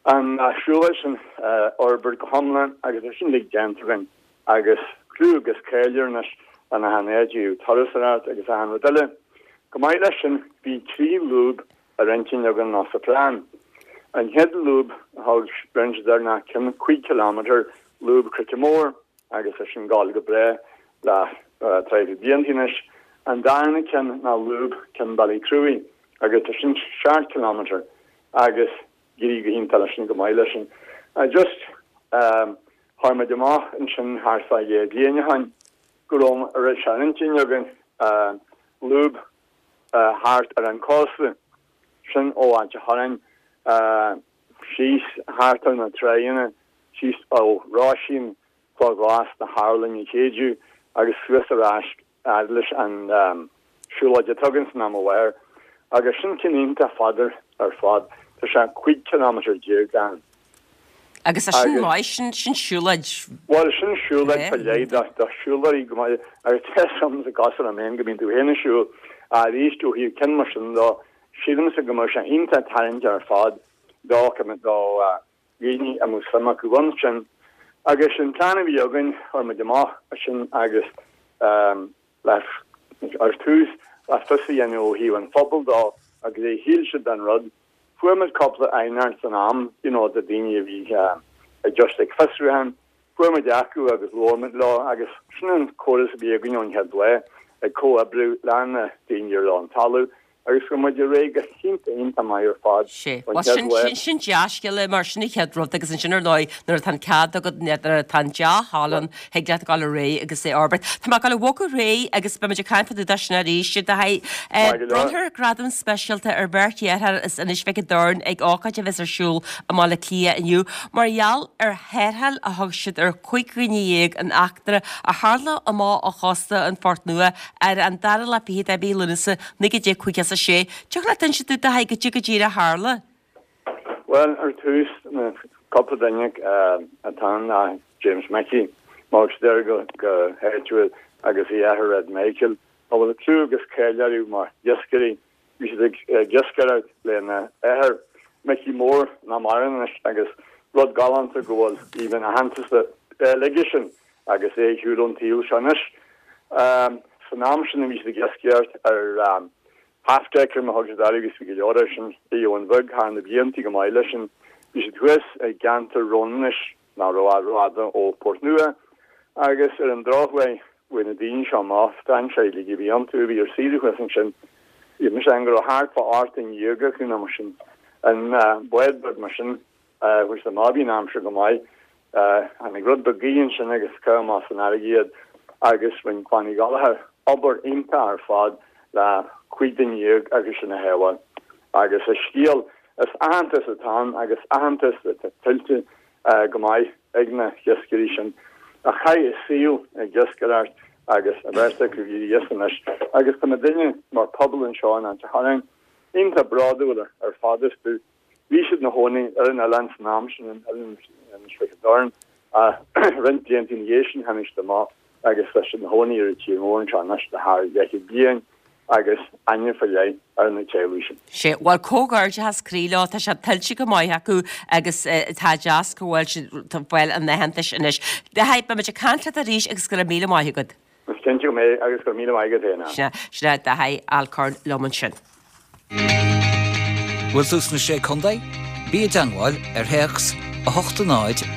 An siúlóid sin a fhorbairt go hiomlán agus tá sin uilig déanta againn agus clú agus cáil air anois in achan áit ó thaobh turasóireacht agus achan rud eile. Chomh maith leis sin bhí 3 lúb ar intinn againn nó sa phlean. An chéad lúb a thug rinne siad air ná ceann 5 kilometre lúb Chnoic Mór agus tá sin ag gabháil go breá le traidhfil blianta anois. An darna ceann ná lúb Ceann Ballycruaidh agus tá sin 7 kilometre agus d'éirigh go hiontach leis sin, go maith leis sin. Just chuir muid amach ansin thart fá dheich bliain ó shin go raibh raibh sé ar intinn againn lúb thart ar an cósta, sin ó Ailt an Chorráin síos thart ar na tráigheanna, síos ó Roisín, Cloch Ghlas na hArlainn a Chéideadh agus suas ar ais fhad leis an siúlóid atá againn san am i láthair agus sin ceann iontach fada ar fad, tá sé 15 cileámeter ann.
Agus tá sin maith, sin sin siúlóid.
Bhuel, sin siúlóid fá leith do do siúlóirí go maith agus tá fhios agamsa cosúil liom féin go mbíonn tú féin ag siúl arís ó thaobh ceann mar sin dó, sílimse go mbeadh sé iontach tarraingteach ar fad do do dhaoine a mbeadh suim acu ansin. Agus an plean a bhí againn, chuir muid amach sin agus le ar tús le fios a dhéanamh ó thaobh an phobail dó agus a shíl siad den rud. Fuair muid cúpla aighneacht san am, you know, de daoine a bhí just ag fiosrúchán. Fuair muid acu agus labhair muid leo agus sin an córas a bhí againn ón chéad lá, ag comhoibriú le na daoine ar an talamh agus chuaigh muid ar aghaidh go hiontach iontach maith ar fad
Sea. ón Bhuel, chéad sin, lá. sin, sin dea-scéal é mar sin an chéad rud agus ansin ar ndóigh nuair atá an cead agat, nuair atá an dea-thoil ann, thig leat dul ar aghaidh agus é a fhorbairt. Tá mé ag dul a bhogadh ar aghaidh agus beidh muid ag caint fá dtaobh de sin arís. Do haghaidh, eh, Maith go leor. Bronnfar gradam speisialta ar bheirt dheartháir as Inis Mhic an Doirn ag ócáid a bheas ar siúl i mBaile Átha Cliath inniu mar gheall ar tharrtháil a thug siad ar 15 dhuine in eachtra a tharla amach ó chósta an Phort Nua ar an dara lá fichead de mhí Lúnasa 1956. Tiocfadh leat inse dúinn do Thaidhg goidé go díreach a tharla?
Bhuel, ar tús, na cúpla duine atá ann ná James Mickey. Mar a deir go háitiúil agus a dheartháir Red Michael, a bhfuil clú agus cáil orthu mar iascairí. Bhí siad ag iascaireacht lena athair, Micí Mór, nach maireann anois, agus rud galánta go bhfuil even aitheantas le fáil aigesean agus é ar shiúl ón tsaol seo anois. San am sin a bhí siad ag iascaireacht ar half-decker mar a thug siad orthu agus bhí go leor air sin i Abhainn Bheag thar na blianta go maith leis sin. Bhí siad thuas i gceantar Rónanois nach raibh rófhada ó Port Nua agus ar an drochuair bhain na daoine seo amach, strainséirí uilig a bhí iontu a bhí ar saoire thuas ansin. Bhí mise ann go raibh thart fá 18 duine acu nó mar sin. An bád beag mar sin, chuaigh siad amach, bhí an aimsir go maith. Tháinig rud beag gaoithe ansin agus caitheadh amach san fharraige iad agus rinne Clann Uí Ghallchóir obair iontach ar fad le 15 duine acu sin a shábháil. Agus is scéal, is aitheantas atá ann agus aitheantas atá tuillte go maith ag na hiascairí sin a chaith a saol ag iascaireacht agus an bheirt acu ag éirí as anois agus tá muidinne mar phobal anseo in Ailt an Chorráin iontach bródúil ar fad astu. Bhí siad ina chónaí ar an oileán san am sin, an oileán Inis Mhic an Doirn, ach roinnt blianta ina dhiaidh sin tháinig siad amach agus tá siad ina chónaí ar an tír mór anseo anois le thar leathchéad bliain agus aithne faoi leith ar na teaghlaigh sin.
Sea, bhuel, comhghairdeachas croí leo, tá sé tuillte go maith acu agus tá deas go bhfuil siad ag fáil an aitheantais anois. Dáithí, beimid ag caint leat arís agus go raibh míle maith agat.
Is cinnte go mbeidh agus go raibh míle maith agat féin,
Ann. Sea, sin é Dáithí Alcorn liom ansin.
Bhfuil tú sna Sé Contae? Bí i dteangmháil ar théacs 8 0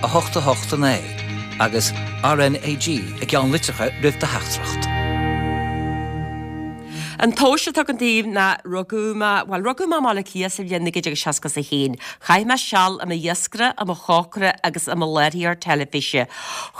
8 8 9 agus RnaG i gceannlitreacha roimh do theachtaireacht.
An tomhas atá agam daoibh ná rugadh mé, bhuel, rugadh mé i mBaile Átha Cliath sa bhliain 1961. Chaith mé seal i mo iascaire, i mo chócaire agus i mo láithreoir teilifíse.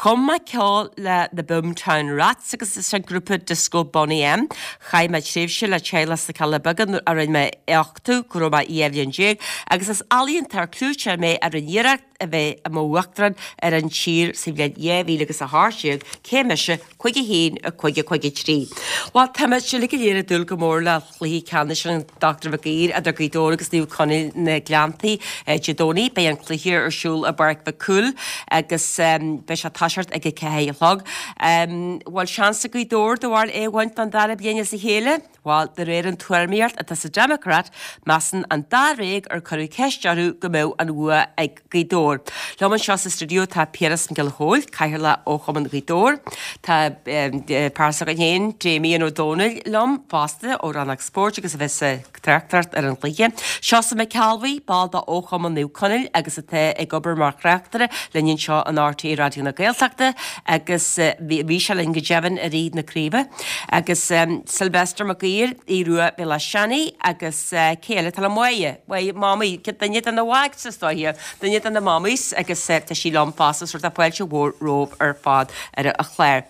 Chum mé ceol le The Boomtown Rats agus leis an grúpa disco Boney M. Chaith mé tréimhse le teaghlach sna Cealla Beaga nuair a rinne mé uchtú go raibh mé 12 bhliain agus is ealaíontóir clúiteach mé a rinne iarracht a bheith i mo uachtarán ar an tír sa bhliain 2018, cé mise, 5 1 5 5 3. Bhuel, táimid uilig go léir ag dúil go mór le cluiche ceannais an Dr Mhic Uidhir idir Gaoth Dobhair agus Naomh Conaill na Gleanntaí Dé Domhnaigh. Beidh an cluiche ar siúl i bPáirc Mhic Cumhaill agus beidh sé ag toiseacht ag a 4 a chlog. Bhfuil seans ag Gaoth Dobhair do bharúil é a bhaint don dara bliain as a chéile? Bhuel, de réir an tuairimíocht atá sa Democrat, measann an dáréag ar cuireadh ceist orthu go mbeadh an bhua ag Gaoth Dobhair. Liom anseo sa stiúideo tá Piaras Mac Giolla Chóill, Cathaoirleach Fhochumann Ghaoth Dobhair. Tá fear s'againn féin, Damien Ó Dónaill, liom fosta ó Rannóg Spóirt agus a bheas ag tráchtaireacht ar an chluiche. Seosamh Mac Ceallbhuí, ball de Fhochumann Naomh Conaill agus atá ag obair mar thráchtaire linn anseo in RTÉ Raidió na Gaeltachta agus bhí sé linn go deimhin i rith na craoibhe. Agus Sylvester Mac Uidhir, Aodh Rua Béal Átha Seanaidh agus cé eile atá le Máire, Máire, Mamaí, duine de na Wags is dóiche, duine de na Mamaís agus tá sí liom fosta so tá fáilte mhór romhaibh ar fad ar an chlár.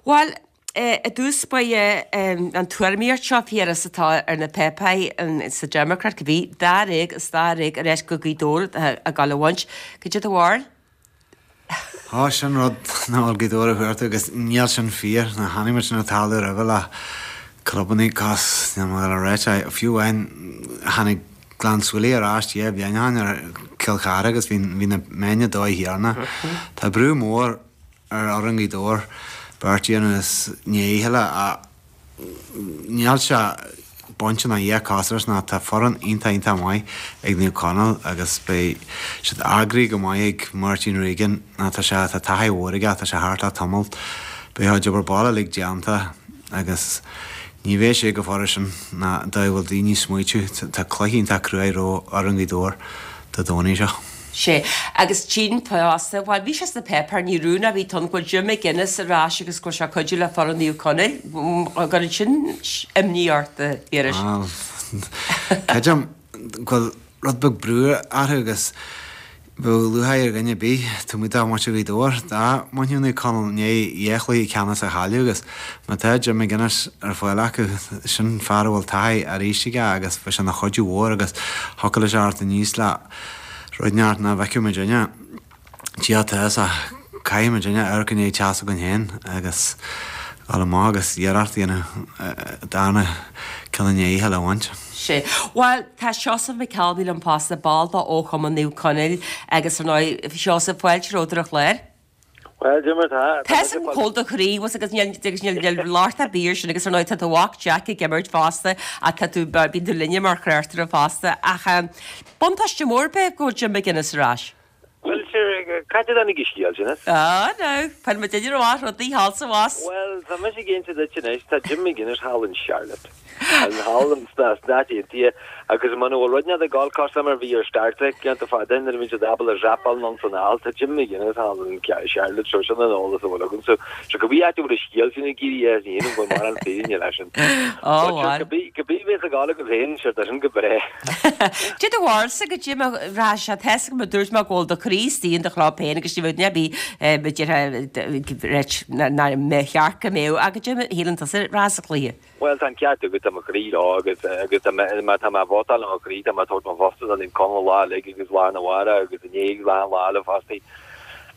Bhuel, i dtús báire an tuairimíocht seo, Phiaras, atá ar na páipéir sa Democrat, go bhí dáréag is dáréag ar ais go Gaoth Dobhair ag gabháil a bhaint. Cad é do bharúil?
Tá sin rud nach bhfuil Gaoth Dobhair a thabhairt agus níl sin fíor. Ná chonaic muid sin ag tarlú roimhe le clubannaí cos níl mé ag dul a ráit é. Fiú amháin tháinig Gleann tSúilí ar ais dhá bhliain ó shin ar Chill Chartha agus bhí bhí na meáin ag dó a thiarna. Tá brú mór ar fhoireann Ghaoth Dobhair beart a dhéanamh is ní a chéile ach níl sé bainte ná dhá cosúil ná tá foireann iontach iontach maith ag Naomh Conaill agus beidh siad eagraithe go maith ag Máirtín Regan ná tá sé tá taithí mhór aige tá sé thart le tamall beidh a chuid obair baile uilig déanta agus ní bheidh sé chomh furast sin ná dóigh a bhfuil daoine ag smaoitiú tá cluiche iontach cruaidh roimh fhoireann Ghaoth Dobhair Dé Domhnaigh seo.
Sea, agus tchím fosta, bhuel, bhí sé sna páipéir, ní rún a bhí ann go bhfuil Jim McGuinness ar ais agus go bhfuil sé ag cuidiú le foireann Naomh Conaill. An gcuireann sin imní ort, a Phiarais?
Bhuel, creidim go bhfuil rud beag brú orthu agus bheadh lúcháir ar dhuine ar bith, taobh amuigh de mhuintir Ghaoth Dobhair, dá mbainfeadh Naomh Conaill i ndiaidh dhá chluiche ceannais a chailleadh agus má tá Jim McGuinness ar fáil acu, sin fear a bhfuil taithí arís aige agus bheadh sé ina chuidiú mhór agus thiocfadh leis a theacht aníos le Rud neart nach bhfeicfidh muidinne tíocht as ach caithfidh muidinne amharc i ndiaidh teach s'againn féin agus dul amach agus iarracht a dhéanamh darna ceann i ndiaidh a chéile a bhaint.
Sea. Bhuel, tá Seosamh Mac Ceallbhuí liom fosta, ball de Fhochumann Naomh Conaill agus ar ndóigh, Seosamh, fáilte romhat ar an chlár.
Bhuel, cad é mar tá.
Tá 'fhios agam cá bhfuil do chroí, bhfuil 'fhios agat, níl, agus níl, níl locht ar bith air sin agus ar ndóigh tá do mhac Jack ag imirt fosta ach tá tú, bíonn tú linne mar chraoltóir fosta ach buntáiste mór ab ea go bhfuil Jim McGuinness ar ais?
Bhuel, sure, cá dtáinig an scéal sin as?
Ah, no, fuair muid idir amach rudaí thall 's abhus.
Bhuel, tá mise ag inse duit anois, tá Jim McGuinness thall in Charlotte. Thall sna Stáit Aontaithe agus muna bhfuil rud inteacht ag gabháil cosúil mar a bhí ar Star Trek blianta fada ó shin nuair a bhí siad ábalta dreapáil anonn 's anall, tá Jim McGuinness thall in Charlotte so sin an eolas a bhfuil agam. So so cibé áit a bhfuil an scéal sin ag éirí as ní dhéanfainn go bhfuil mórán fírinne leis sin.
Ó,
But sure, cibé cibé a bheas ag gabháil agat féin, sure, tá sin go breá.
Cad é do bharúilsa go Jim a rá sé tá 'fhios agam a dúirt mé go bhfuil do chroí istigh in do chlub féin agus ní bheadh duine ar bith a déarfadh nach mbeadh cheart go mbeadh ach cad é a shíleann tusa a rá sa chluiche.
Bhuel, tá an ceart agat, tá mo chroí leo agus agus tá mé, má tá mé ag vótáil le mo chroí, tá mé ag tabhairt mo vóta do Naomh Conaill lá uilig agus lá arna mhárach agus inné agus lá an lá eile fosta.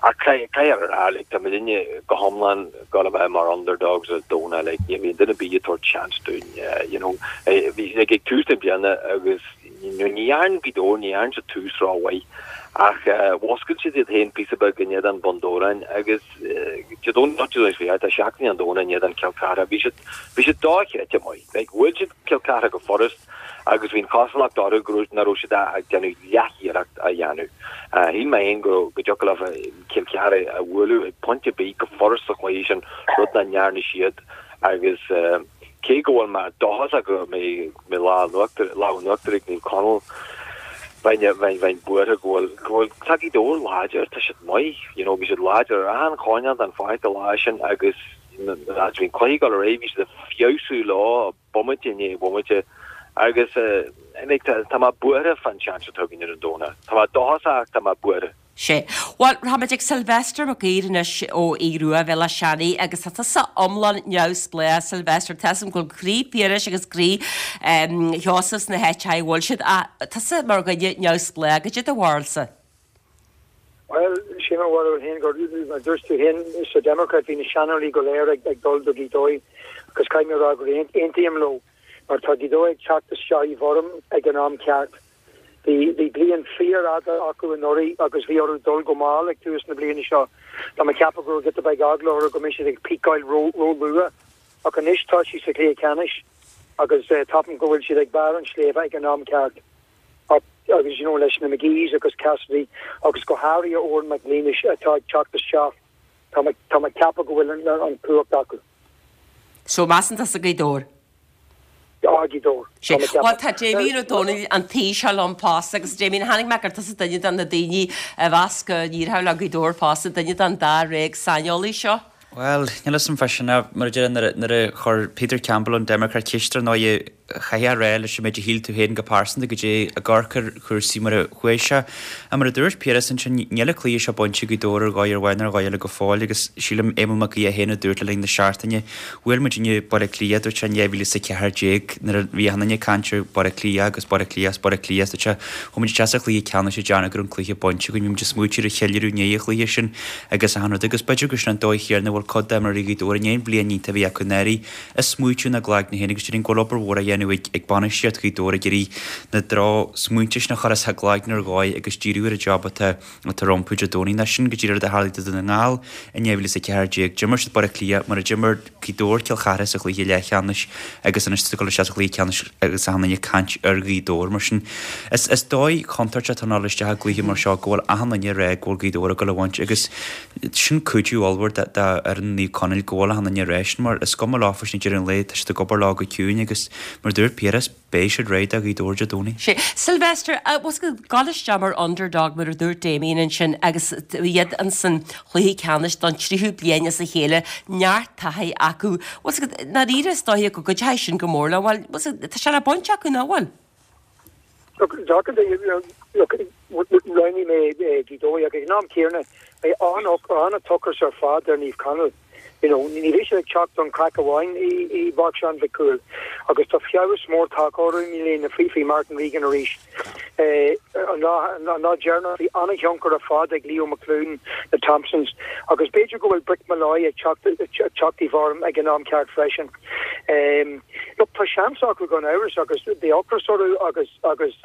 Ach caithfidh a rá, like, tá muidinne go hiomlán ag dul a bheith mar underdogs ar Domhnach, like, ní bhíonn duine ar bith ag tabhairt seans dúinn, you know, bhí, like, ag tús na bliana agus ní dhearn Gaoth Dobhair, ní dhearn siad tús rómhaith ach mhúscail siad iad féin píosa beag in éadan Bhun Dobhráin agus Dé Domhnaigh, Dé Domhnaigh, tá seachtain an Domhnaigh in éadan Cill Chartha. Bhí siad, bhí siad dochreidte maith. Like, bhuail siad Cill Chartha go furast agus bhí an chosúlacht orthu go raibh, nach raibh siad ag déanamh leathiarracht a dhéanamh. Shíl mé féin go raibh, go dtiocfadh leo Cill Chartha a bhualadh ag pointe ar bith go furast sa chluiche sin, rud nach ndearna siad agus cé go bhfuil mé dóchasach go mbeidh, mbeidh lámh in uachtar, lámh in uachtar ag Naomh Conaill, bheinn, bheinn, bheinn buartha go bhfuil, go bhfuil, tá Gaoth Dobhair láidir, tá siad maith, you know, bhí siad láidir ar achan choirnéal den pháirc an lá sin agus as bhí an cluiche ag dul ar aghaidh, bhí siad ag feabhsú leo bomaite i ndiaidh bomaite agus eh, tá, tá mé buartha fán seans atá againn ar an Domhnach. Tá mé dóchasach ach tá mé buartha.
Sea. Bhuel, rachaimid ag Sylvester Mac Uidhir anois ó Aodh Rua Bhéal Átha Seanaidh agus tá tusa iomlán neamhspleách, Sylvester. Tá 'fhios a'm go bhfuil croí Phiarais agus croí Sheosaimh sna háiteacha a bhfuil siad ach tusa mar dhuine neamhspleách, goidé do bharúilsa?
Bhuel, sé mo bharúil féin gur, mar dúirt tú féin, sa Democrat bhí na seanóirí go léir ag dul do Ghaoth Dobhair agus caithfidh mé a rá gur aontaím leo mar tá Gaoth Dobhair ag teacht isteach i bhfoirm ag an am ceart. Bhí bliain fíorfhada acu anuraidh agus bhí orthu dul go mall ag tús na bliana seo. Tá mé ag ceapadh go raibh giota beag eagla orthu go mbeidh siad ag peakáil ró-luath. Ach anois tá siad sa chluiche ceannais agus ceapaim go bhfuil siad ag barr an tsléibhe ag an am ceart. Agus you know leis na McGees agus Cassidy agus go háirithe Odhrán Mac Niallais atá ag teacht isteach, tá mé ag ceapadh go bhfuil an chumhacht acu.
So measann tusa Gaoth Dobhair?
Gaoth Dobhair.
Sea. Bhuel, tá Damien Ó Dónaill an tí seo liom fosta agus Damien, chonaic mé gur tusa duine de na daoine a mheas go n-éireodh le Gaoth Dobhair fosta, duine den dáréag saineolaí seo.
Bhuel, níl 'fhios a'm fá sin ach mar a deir nuair a chuir Peter Campbell ón Democrat ceist ar ndóigh chaithfeá a rá leis an méid a shíl tú féin go pearsanta goidé ag amharc ar chúrsaí mar a chuaigh sé. Ach mar a dúirt Piaras ansin, níl an cluiche seo bainte ag Gaoth Dobhair ar dhóigh ar bháin ar dhóigh eile go fóill agus sílim Éamonn Mac Aodha féin a dúirt le linn na seachtaine, Bhuail muidinne Baile Átha Cliath, dúirt sé, in 2014 nuair a bhí achan duine ag caint ar Baile Átha Cliath agus Baile Átha Cliath is Baile Átha Cliath, dúirt sé, chuaigh muid isteach sa chluiche ceannais ag déanamh go raibh an cluiche bainte againn, bhí muid ag smaoitiú ar an cheiliúradh i ndiaidh an chluiche sin agus achan rud agus b'fhéidir gur sin an dóigh chéanna a bhfuil cuid d'imreoirí Ghaoth Dobhair i ndiaidh an bhliain iontach a bhí acu anuraidh ag smaoitiú ina gcloigne féin agus déarfainn go bhfuil obair mhór á dhéanamh ag bainistíocht Ghaoth Dobhair ag iarraidh na drochsmaointe sin a chur as a gcloigne ar dhóigh agus díriú ar an job atá atá rompu Dé Domhnaigh. Nó sin go díreach rud a tharlaigh do Dún na nGall in 2014. D'imir siad Baile Átha Cliath mar a d'imir Gaoth Dobhair Cill Chartha sa chluiche leathcheannais agus anois tá siad ag dul isteach sa chluiche ceannais agus achan duine ag caint ar Ghaoth Dobhair. Mar sin, is is dóigh chontúirteach atá ag dul isteach i gcluiche mar seo go bhfuil achan duine ag rá go bhfuil Gaoth Dobhair ag dul a bhaint agus sin cuidiú ollmhór do fhoireann Naomh Conaill go bhfuil achan duine ag rá sin mar is cuma leofa sin ag deireadh an lae tá siad ag obair leo go ciúin agus mar a dúirt Piaras, Beidh siad réidh do Ghaoth Dobhair Dé Domhnaigh.
Sea. Sylvester, bhfuil a fhios agat, gabháil isteach mar underdog mar a dúirt Damien ansin agus iad insan chluiche ceannais don tríú bliain as a chéile, neart taithí acu. Bhfuil a fhios agat, i ndáiríre is dóiche go gcuideoidh sin go mór leo. Bhuel, bhfuil a fhios agat, tá sé le baint acu, nach bhfuil?
Look, look, roghnaigh mé Gaoth Dobhair ach ag an am céanna beidh an-ocras ar fad ar Naomh Conaill. You know, ní bheidh siad ag teacht don chraic amháin i bPáirc Seán Mhic Cumhaill agus tá feabhas mór tagtha orthu i mbliana faoi faoi Martin Regan arís. An lá an lá deireanach bhí an-thionchar ar fad ag Leo McLoone, na Thompsons agus b'fhéidir go bhfuil Brick Molloy ag teacht ag teacht i bhfoirm ag an am ceart freisin. Look, tá seans acu gan amhras agus beidh ocras orthu agus agus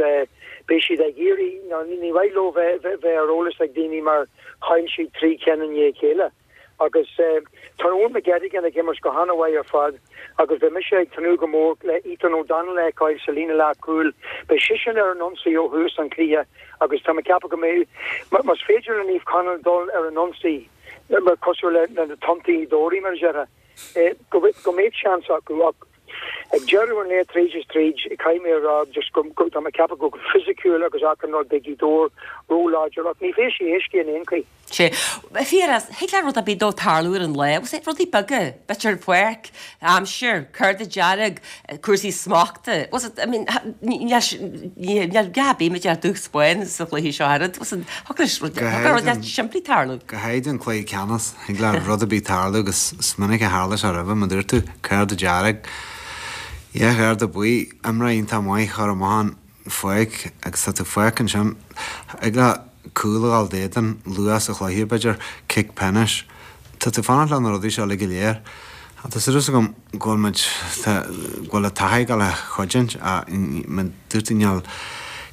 beidh siad ag iarraidh, ní mhaith leo bheith bheith ar eolas ag daoine mar chaill siad 3 cheann i ndiaidh a chéile. Agus tá Eoin McGettigan ag imirt go han-mhaith ar fad agus beidh mise ag tnúth go mór le Ethan O'Donnell a fheiceáil sa líne leathchúil. Beidh seisean ar an ionsaí ó thús an chluiche agus tá mé ag ceapadh go mbeidh, más féidir le Naomh Conaill dul ar an ionsaí, cosúil le na tonntaí mar a déarfá, go mbeidh seans acu ach ag deireadh an lae tríd is tríd, caithfidh mé a rá just go, tá mé ag ceapadh go fisiciúil agus achan rud beidh Gaoth Dobhair ró-láidir ach ní bheidh sé éasca in aon chaoi.
Sea. A Phiarais, thig le rud ar bith dó tarlú ar an lá. Bhfuil 's rudaí beaga, b'fhéidir páirc, aimsir, cárta dearg, cúrsaí smachta. Bhfuil 's I mean, níl gá ar bith muid a dúch spáin sa chluiche seo oiread. Bhfuil 's thig leis rud, thig le rud simplí tarlú.
Go háirid an cluiche ceannais, thig le rud ar bith tarlú agus is minic a tharla sé roimhe, mar dúirt tú, cárta dearg, dhá chárta buí, imreoir iontach maith a chur amach an pháirc agus tá tú fágtha ansin. Thig le cúl a dhul d'éadan luath sa chluiche, b'fhéidir, cic pionóis. Tá tú ag fanacht le na rudaí seo uilig go léir. Tá súil agam go bhfuil muid, go bhfuil an taithí ag dul a chuidiúint ach mar dúirt tú níl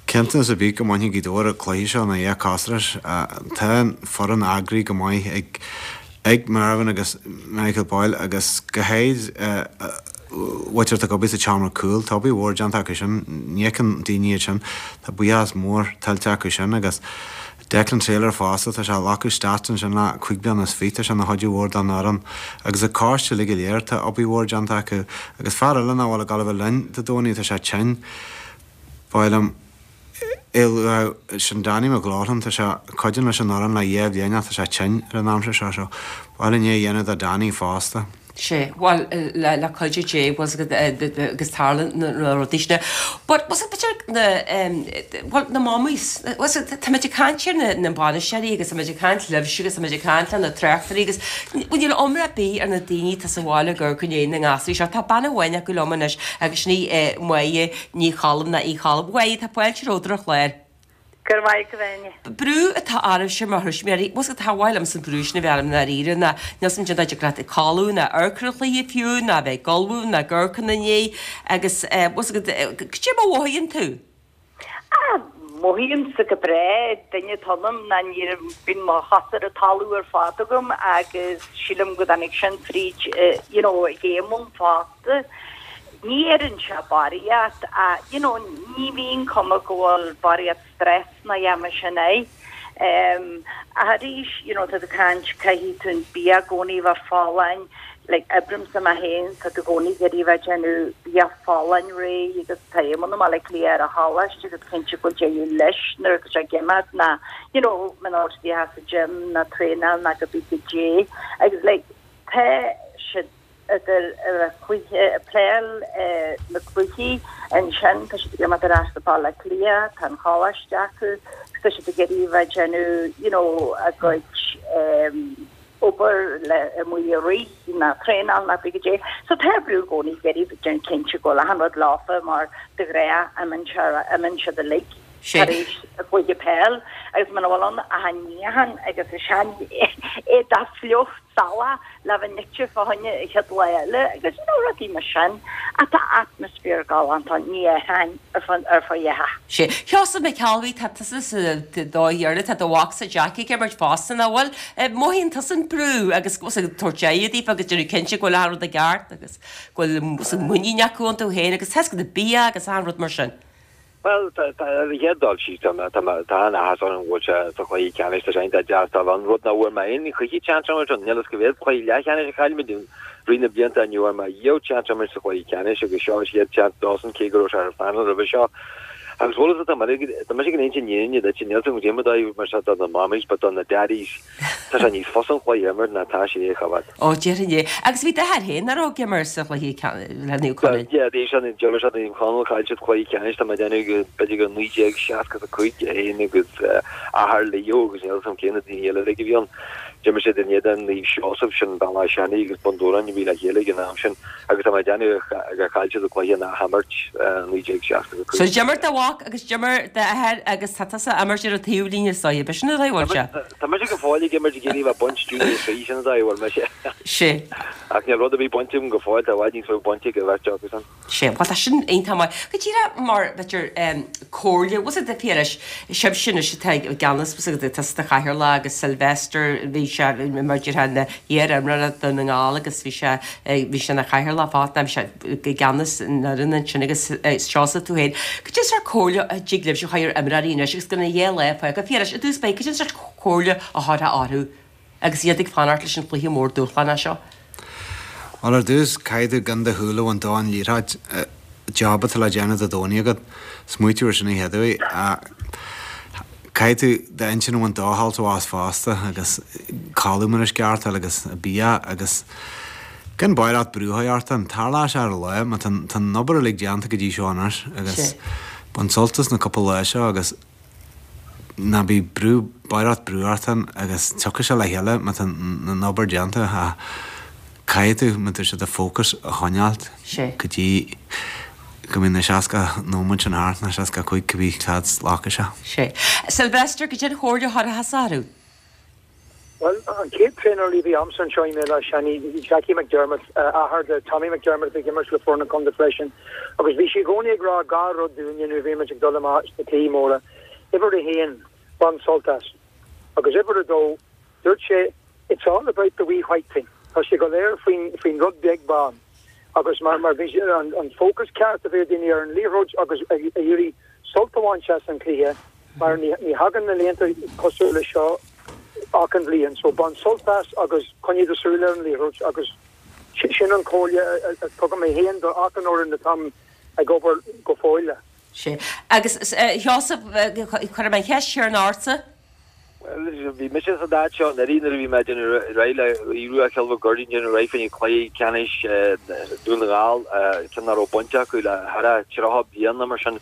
cinnteanas ar bith go mbainfidh Gaoth Dobhair an cluiche seo ina dhiaidh costais. Tá an foireann eagraithe go maith ag ag Mervyn agus Michael Boyle agus go háirid mhuintir atá ag obair sa tseomra cúil. Tá obair mhór déanta acu sin. Ní fheiceann daoine iad sin. Tá buíochas mór tuillte acu sin agus Declan Taylor fosta, tá sé ag glacadh stats ansin le cuig bliana is fiche, tá sé ina chuidiú mhór don fhoireann agus an coiste uilig go léir, tá obair mhór déanta acu agus fear eile nach bhfuil ag dul a bheith linn Dé Domhnaigh, tá sé tinn, ba mhaith liom é a lua, sin Danny McLaughlin, tá sé ag cuidiú leis an fhoireann le dhá bhliain ach tá sé tinn ar an aimsir seo so ba mhaith linn é a dhéanamh do Danny fosta.
Sea, bhuel, le cuidiú Dé, bhfuil 's agat, agus tarlaíonn na rudaí sin. But, bhfuil 's agat, b'fhéidir na, bhuel, na mamaís, bhfuil 's agat, táimid ag caint ar na, na bainisteoirí agus táimid ag caint libhse agus táimid ag caint le na tráchtairí agus, bhuel, níl iomrá ar bith ar na daoine atá sa bhaile ag amharc i ndiaidh na ngasúir seo. Tá bean amháin acu liom anois agus sin í Máire Ní Cholm nó Uí Cholm. Mháire, tá fáilte romhat ar an chlár.
Go raibh maith agat, a Áine.
Brú atá oraibhse mar thuismitheoirí, bhfuil 's agat, cha mhaith liomsa an brú sin a bheith orm i ndáiríre, ná níl 's agam cén dóigh a dtig leat ag codladh ná amharc ar an chluiche fiú, ná bheith ag ullmhú ná ag amharc ina ndiaidh agus bhfuil 's agat, cad é mar a mhothaíonn tú?
Ah, mothaímse go breá, duine atá ionam ná ní bíonn mo chosa ar an talamh ar fad agam agus sílim go dtáinig sin fríd, you know, ag Éamonn fosta. Ní fheireann sé barraíocht ach you know ní bhíonn cuma go bhfuil barraíocht stress ná a dhath mar sin air. Ach arís you know tá tú ag caint caithfidh tú an bia i gcónaí a bheith folláin like oibrímse mé féin tá tú i gcónaí ag iarraidh a bheith ag déanamh bia folláin réidh agus tá Éamonn i mBaile Átha Cliath ar an choláiste agus cinnte go bhfuil deireadh leis nuair atá sé ag imeacht ná you know muna bhfuil siad sa gym ná traenáil ná cibé goidé agus like tá siad idir cluiche, pléáil na cluichí ansin, tá siad ag imeacht ar ais go Baile Átha Cliath, tá an choláiste acu, agus tá siad ag iarraidh a bheith ag déanamh you know a gcuid obair le amuigh ag rith ná traenáil ná cibé goidé. So tá brú i gcónaí ag iarraidh déanamh cinnte go bhfuil achan rud leofa mar de ghnáth imíonn siad uilig tar éis a gcluiche peil agus muna bhfuil ann ach an níochán agus an sean éadach fliuch salach le bheith nite fá choinne an chéad lá eile agus you know rudaí mar sin ach tá atmaisféar galánta ann, ní athraíonn ar fud ar fud a dhath.
Sea. Sheosamh McElwee, tá tusa sa dóigh dheireanach, tá do mhacsa Jackie ag imirt fosta, nach bhfuil? Mothaíonn tusa an brú agus go bhfuil ag tabhairt aghaidh daofa agus déanamh cinnte go bhfuil achan rud i gceart agus go bhfuil muinín acu iontu féin agus tá 's agat an bia agus achan rud mar sin.
Bhuel, tá, ar an chéad dul síos, tá, tá, tá an-áthas orm go bhfuil sé sa chluiche ceannais, tá sé iontach deas dul ann, rud nach bhfuair mé aon choíche chance a imirt ann, níl fhios cá mhéad cluiche leathcheannais a chaill muid i rith na blianta, ní bhfuair mé riamh chance a imirt sa chluiche ceannais agus seo an chéad chance dósan cé go raibh sé ar an phanel roimhe seo. Agus bhfuil fhios agat, tá mé, tá mise ag inse an fhírinne duit, níl fhios agam goidé mar dóigh mar seo do na mammies but do na daddies, Tá sé níos fusa an cluiche a imirt ná tá sé é a choimhéad.
Ó, déarfainn é. Agus bhí d'athair féin, nach raibh, ag imirt sa chluiche le Naomh Conaill?
Yeah, bhí sé, d'imir sé Naomh Conaill, chaill siad cluiche ceannais, tá mé ag déanamh go, b'fhéidir go 1965 é féin agus athair Leo agus níl fhios agam cé na daoine eile uilig a bhí ann. D'imir siad in éadan Naomh Seosamh, sin Bealach Seanaidh agus Bun Dobhráin a bhí le chéile ag an am sin agus tá mé ag déanamh gur chaill siad an cluiche in athimirt 1965.
So d'imir do mhac agus d'imir d'athair agus tá tusa ag imirt ar an taobhlíne is dóigh, b'shin an dóigh a bhfuil sé?
Tá mise go fóill ag imirt ag iarraidh a bheith ag baint Junior 3, sin an dóigh a bhfuil mise.
Sea.
Ach níl rud ar bith bainte agam go fóill, tá i bhfad níos mó bainte ag an bheirt acusan.
Sea, bhuel tá sin iontach maith. Go díreach mar, b'fhéidir, comhairle, bhfuil 's agat, a Phiarais, sibhse anois atá i gceannas, bhfuil 's agat, tusa do chathaoirleach agus Sylvester, bhí. sé mar a déarfá ina iar-imreoir Dhún na nGall agus bhí sé bhí sé ina chathaoirleach fosta bhí sé i gceannas an fhoireann ansin agus Seosamh tú féin. Cad é an sórt comhairle a dtig libhse a chur ar imreoirí anois agus gan a dhá lá fágtha Phiarais i dtús báire cad é an sórt comhairle a thabharfá orthu agus iad ag fanacht leis an chluiche mór dúshlánach seo?
Bhuel ar dtús caithfidh tú gan do shúil a bhaint ón liathróid. Job atá le déanamh Dé Domhnaigh agat. Smaoitiú ar sin an chéad uair. Caithfidh tú d'intinn a bhaint dó sult as fosta agus codladh mar is ceart agus bia agus gan barraíocht brú a chur ort. Tarlóidh sé ar an lá mar tá an obair uilig déanta go dtí seo anois agus bain sult as na cúpla lá seo agus ná bí brú, barraíocht brú ort féin agus tiocfaidh sé le chéile má tá an obair déanta ach caithfidh tú, má tá sé do fócas a choinneáilt go dtí go mbíonn na 60 nóiméad sin thart, nó 65 cibé cad glacfaidh sé.
Sea. Sylvester, cad é an chomhairle a thabharfá orthu?
Bhuel, an chéad traenálaí a bhí a'msa anseo i mBéal Átha Seanaidh, Jackie McDermott, athair de Tommy McDermott a bhí ag imirt le foireann an chontae freisin, agus bhí sé i gcónaí ag rá dhá rud dúinne nuair a bhí muid ag dul amach sna cluichí móra, uimhir a haon, bain sult as. Agus uimhir a dó, dúirt sé, it's all about the wee white thing, tá sé go léir faoin, faoin rud beag bán. Agus mar, mar bhí an, an fócas ceart a bheith ag daoine ar an liathróid agus ag iarraidh sult a bhaint as an chluiche, mar ní, ní thagann na laethanta cosúil le seo achan bhliain. So bain sult as agus coinnigh do súil ar an liathróid agus sin an chomhairle a tugaim mé féin do achan fhoireann atáim ag obair go fóill le.
Sea. Agus a Sheosaimh, cuirfidh mé an cheist chéanna ortsa.
Bhuel, bhí mise sa áit seo anuraidh nuair a bhí mé ag déanamh ar aghaidh le Aodh Rua Chill Mhic Goirdín déanamh ar aghaidh fá choinne cluiche ceannais Dún na nGall, ceann nach raibh bainte acu le thar a 30 bliain nó mar sin.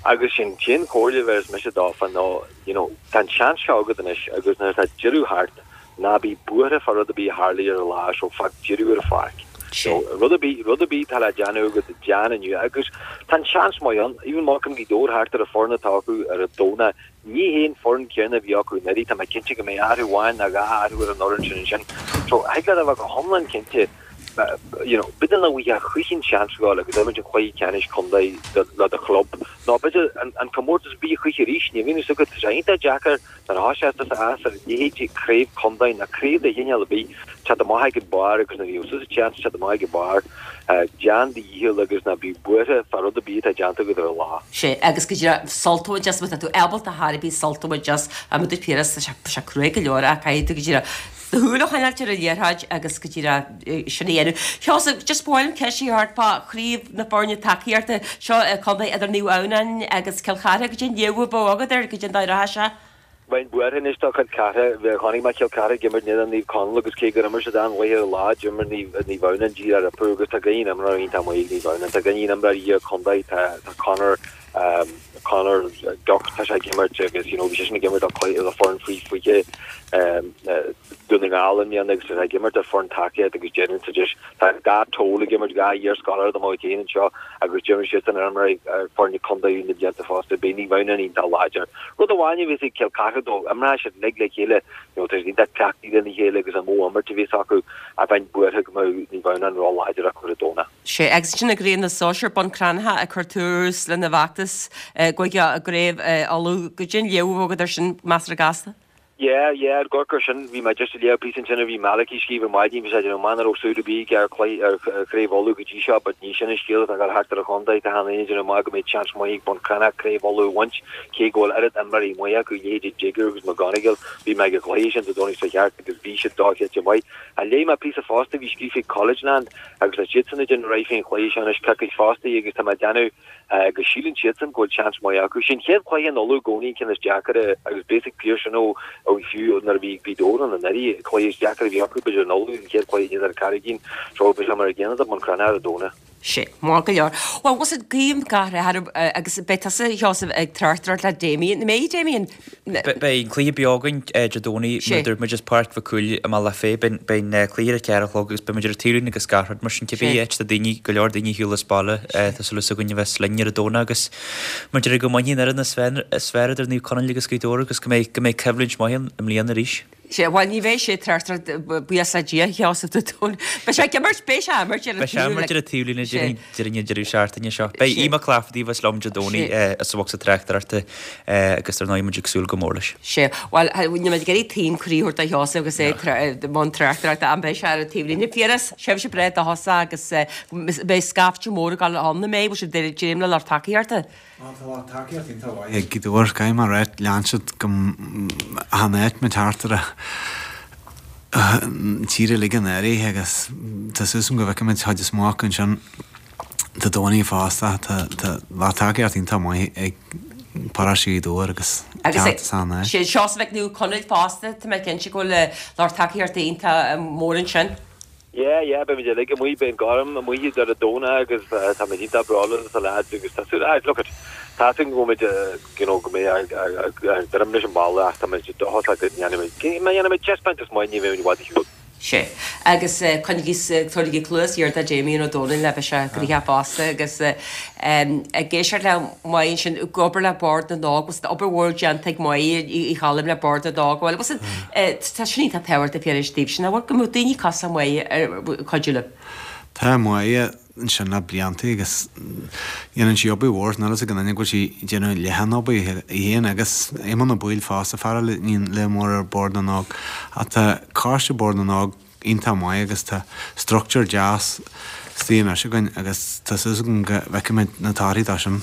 Agus sin an chomhairle a bhéarfas mise dófa ná you know, tá an seans seo agat anois agus nuair atá deireadh thart, ná bí buartha fá rud ar bith a tharlaigh ar an lá so fág deireadh ar an pháirc. So, rud ar bith, rud ar bith atá le déanamh agat, déan inniu agus tá an seans maith ann, even má amharcann Gaoth Dobhair thart ar an foireann atá acu ar an Domhnach, ní hé an foireann céanna a bhí acu anuraidh, tá mé cinnte go mbeidh athrú amháin nó dhá athrú ar an fhoireann sin ansin. So, thig leat a bheith go hiomlán cinnte, you know, b'fhéidir nach bhfaighfeá choíche an seans a ghabháil agus imirt an chluiche ceannais contae le do chlub, nó b'fhéidir an comórtas ar bith choíche arís, ní bhíonn fhios agat, tá sé iontach deacair nuair a thosaíos tusa as ar leithéidí craobh contae nó craobh de chineál ar bith, teacht amach ag an barr agus nuair a bhíonn tusa seans teacht amach ag an barr, déan do dhícheall agus ná bí buartha fá rud ar bith atá déanta agat ar an lá.
Sea, agus go díreach sult a bhaint as, má tá tú ábalta ar chor ar bith sult a bhaint as, mar a dúirt Piaras, tá sé cruaidh go leor ach caithfidh tú go díreach do shúil a choinneáilt ar an liathróid agus go díreach sin a dhéanamh. Sheosamh, just ba mhaith liom ceist a chur ort fá chraobh na foirne tacaíochta seo contae idir Naomh Adhamhnáin agus Cill Chartha, goidé an léamh a bheadh agat air, goidé an dóigh a rachaidh sé.
Bheinn buartha anois do Chill Chartha. Chonaic mé Cill Chartha ag imirt in éadan Naomh Conaill agus cé gur imir siad an-chluiche ar an lá, d'imir Naomh Adhamhnáin díreach rompu agus tá gach aon imreoir iontach maith ag Naomh Adhamhnáin. Tá gach aon imreoir iar-chontae, tá Conor, Conor Duck, tá sé ag imirt agus you know bhí seisean ag imirt do foireann faoi 20 Dún na nGall i mbliana agus tá sé ag imirt ar foireann tacaíocht agus déanann siad just tá dhá Toal ag imirt, dhá iarscoláire de mo chuid féin anseo agus d'imir siadsan ar imreoirí ar foirne contae na blianta fosta. Beidh Naomh Adhamhnáin iontach láidir. Rud amháin a bheas ag Cill Chartha dó, imreoidh siad uilig le chéile, you know tá siad iontach cleachtaithe lena chéile agus an modh imirt a bheas acu ach bheinn buartha go mbeadh Naomh Adhamhnáin ró-láidir acu ar an Domhnach.
Sea, agus ansin i gcraobh na sóisear, Bun Cranncha ag cur tús lena bhfeachtas go dtí i gCraobh Uladh. Goidé an léamh a bheadh agat air sin, measartha gasta.
Yeah, yeah, ar amharc air sin, bhí mé just ag léamh píosa ansin a bhí Malachy ag scríobh ar maidin, bhí sé ag déanamh amach nach raibh súil ar bith aige ar chluiche, ar Chraobh Uladh go dtí seo, but ní sin an scéal atá ag dul thart ar an chontae, tá achan duine ag déanamh amach go mbeidh seans maith ag Bun Cranncha Craobh Uladh a bhaint, cé go bhfuil oiread imreoirí maithe acu, leithéidí Digger agus McGonigle, bhí mé ag an chluiche sin Dé Domhnaigh seo thart agus bhí siad dochreidte maith. Ach léigh mé píosa fosta a bhí scríofa ag Collegeland, Agus tá siadsan ag déanamh ar aghaidh fén chluiche seo anois coicís fosta agus tá mé ag déanamh go síleann siadsan go bhfuil seans maith acu. Sé an chéad chluiche in Uladh i gcónaí an ceann is deacair agus beidh a fhios ag Pearse sin ó fiú nuair a bhí Gaoth Dobhair ann anuraidh, an cluiche is deacair a bhí acu b'fhéidir in Uladh an chéad chluiche in éadan Carraigín so beidh sé mar an gcéanna do Bhun Cranncha ar an Domhnach.
Sea, maith go leor. Bhuel, bhfuil a fhios agat, guím gach rath oraibh agus beidh tusa, a Sheosaimh, ag tráchtaireacht le Damien. An mbeidh, Damien?
Beidh an cluiche beo againn Dé Domhnaigh, mar a dúirt muid, as Páirc Mhic Cumhaill i mBealach Féich. Beidh an cluiche ar a ceathair a chlog agus beidh muid ar an taobhlíne agus gach rud mar sin. Cibé áit tá daoine, go leor daoine ar shiúl as baile, tá súil againn a bheas linn ar an Domhnach agus mar a deir go mbainfidh an fhoireann is fearr idir Naomh Conaill agus Gaoth Dobhair agus go mbeidh, go mbeidh coimhlint maith ann i mbliana arís.
Sea, bhuel ní bheidh sé ag tráchtaireacht, buíochas le Dia, a Sheosaimh Dé Domhnaigh. Beidh sé ag imirt, beidh sé ag imirt ar an
Beidh sé ag imirt ar an taobhlíne déarfainn an deireadh seachtaine seo. Beidh Aodh Mac Laifeartaigh a bheas liom Dé Domhnaigh sa bhocsa tráchtaireachta agus ar ndóigh muid ag súil go mór leis.
Sea, bhuel níl mé ag iarraidh taom croí a thabhairt do Sheosamh agus é i mbun tráchtaireachta ach beidh sé ar an taobhlíne. Piaras, tréimhse breá do thusa agus beidh scaifte mór ag dul ann, an mbeidh? Bhfuil sibh ag dréim le lucht tacaíochta?
Tá lucht tacaíochta iontach mhaith ag Gaoth Dobhair, caithfidh mé a ráit, lean siad go achan áit muid thart ar an tír uilig anuraidh agus tá súil agam go bhfeicfimid chuid is mó acu ansin Dé Domhnaigh fosta. Tá lucht tacaíochta iontach maith ag paróiste Ghaoth Dobhair agus
teacht as achan áit. Agus Seosamh Mhic Conghail fosta, tá mé cinnte go bhfuil lucht tacaíochta iontach mór ansin.
Yeah, yeah, beimid uilig amuigh, beidh an Gorm amuigh ar an Domhnach agus táimid iontach bródúil as na lads agus tá súil, ah, look it, tá súil go bhfuil you know, go mbeidh ag druidim leis an baile ach táimid dóchasach go ndéanfaimid, má dhéanaimid taispeántas maith ní bheimid i bhfad ar shiúl.
Sea, agus coinnigí, tabhairigí cluas ghéar do Damien Ó Dónaill le beidh sé gnoitheach fosta agus ag éisteacht le Máire ansin, ag obair le Bord na nÓg, bhfuil obair mhór déanta ag Máire Uí Choilm le Bord na nÓg, bhuel, bhfuil tá sin iontach tábhachtach Phiarais daoibhse, nach bhfuil, go mbeadh daoine cosúil le Máire ag cuidiú libh.
Tá Máire ansin le blianta agus dhéanann sí obair mhór, níl fhios ag aon duine go bhfuil sí ag déanamh leath an obair í féin agus Éamonn Ó Baoill fosta, fear eile a níonn le mór ar Bord na nÓg. Ach tá coiste Bord na nÓg iontach maith agus tá structúr deas istigh anois againn agus tá súil agam go bhfeicfimid na torthaí dó sin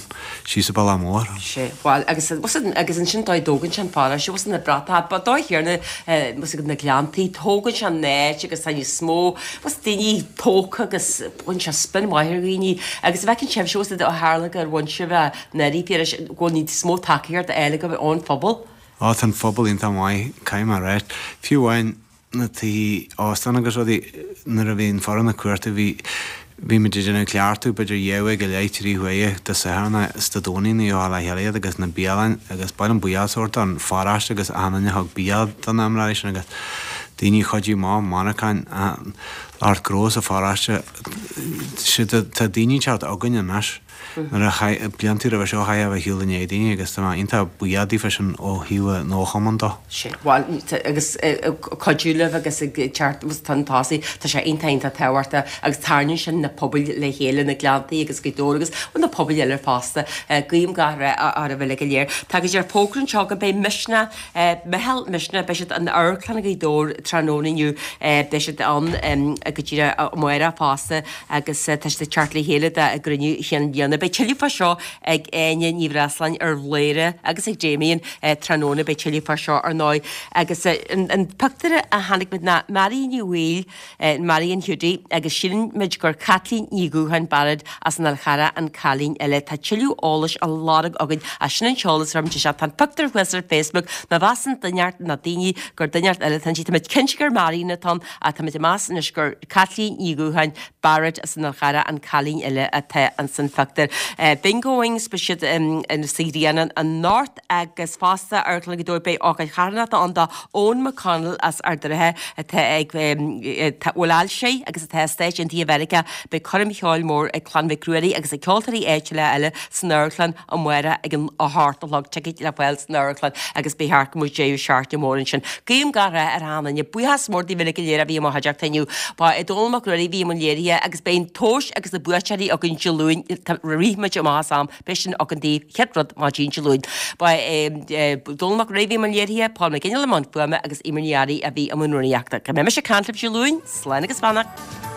síos an bealach mór.
Sea, bhuel, agus, agus ansin dóigh a dtógann sé an pharóiste, bhfuil na bratacha, ba dóigh chéanna, bhfuil na Gleanntaí, tógann sé an áit agus tá níos mó, bhfuil daoine tógtha agus baineann sé spin maith ar dhaoine agus an bhfeiceann sibhse, bhfuil ó tharla gur bhain sibh anuraidh, Piarais, go bhfuil níos mó tacaíocht á fháil agaibh ón phobal?
Á, tá an phobal iontach maith, caithfidh mé a ráit. Fiú amháin na tithe óstáin agus rudaí, nuair a bhí an foireann ag cuartú, bhí, bhí muid ag déanamh cleachtadh b'fhéidir dhá uair go leith, trí huaire Dé Sathairn is Dé Domhnaigh ní raibh le chéile iad agus na bialann agus ba mhaith liom buíochas a thabhairt don pharóiste agus achan duine a thug bia do na imreoirí sin agus daoine a chuidigh amach, monarchain, lucht gnó sa pharóiste, tá daoine ag teacht chugainn anois. Nuair a chaith, blianta roimhe seo, chaithfeá a bheith ar shiúl i ndiaidh daoine agus tá mé iontach buíoch daofa sin ó thaobh an chumainn dó.
Sin, bhuel, agus ag cuidiú libh agus ag teacht chun tosaigh, tá sé iontach, iontach tábhachtach agus tarraingíonn sin na pobail le chéile, na Gleanntaí agus Gaoth Dobhair agus, bhuel, na pobail eile fosta. Guím gach rath oraibh uilig go léir. Tá go dtí fógra anseo go mbeidh Misneach, Meitheal Misneach, beidh siad in Amharclann Ghaoth Dobhair tráthnóna inniu, beidh siad ann go díreach amárach fosta. agus tá siad ag teacht le chéile dá gcruinniú chinn bliana. Beidh tuilleadh fá seo ag Áine Ní Bhreasláin ar Bhladhaire agus ag Damien tráthnóna, beidh tuilleadh fá seo ar ndóigh. Agus an pictiúr a chonaic muid ná Marion Ní Bhaoill, Marion Hiúdaí, agus síleann muid gur Caitlín Ní Dhúcháin Barrett as an Fhál Charrach an cailín eile. Tá tuilleadh eolais á lorg againn ach sin an t-eolas a chuir muid isteach. Tá an pictiúr thuas ar Facebook, má mheasann duine inteacht nó daoine gur duine inteacht eile atá inti, tá muid cinnte gur Marion atá ann ach tá muid ag meas anois gur Caitlín Ní Dhúcháin, Barrett as an Fhál Charrach an cailín eile atá ins an phictiúr. Bingo Wings, beidh siad sa Ghrianán anocht agus fosta Amharclann Ghaoth Dobhair beidh ócáid charthanachta ann do Eoin McConnell as Ard an Rátha atá ag a bhfuil ailse air agus atá i Stáit Aontaithe Mheiriceá. Beidh coirm cheoil mór ag Clann Mhic Ruairí agus ag ceoltóirí áitiúla eile san amharclann amárach ag an 8 a chlog, ticéid le fáil san amharclann agus ba cheart go mbeadh deireadh seachtaine mór ansin. Guím gach rath ar achan duine. Buíochas mór daoibh uilig go léir a bhí i mo chuideachta inniu. Ba é Dónall Mac Ruairí a bhí i mbun léirithe agus beidh an tomhas agus na buaiteoirí againn Dé Luain, rith muid amach as am, beidh sin againn daoibh chéad rud maidin Dé Luain. Ba é Dónall Mac Ruairí a bhí i mbun léirithe, Paul McGinley i mbun fuaime agus Eimear Ní Fhearraigh a bhí i mbun rúnaíochta. Go mbeidh mise ag caint libh Dé Luain, slán agus beannacht.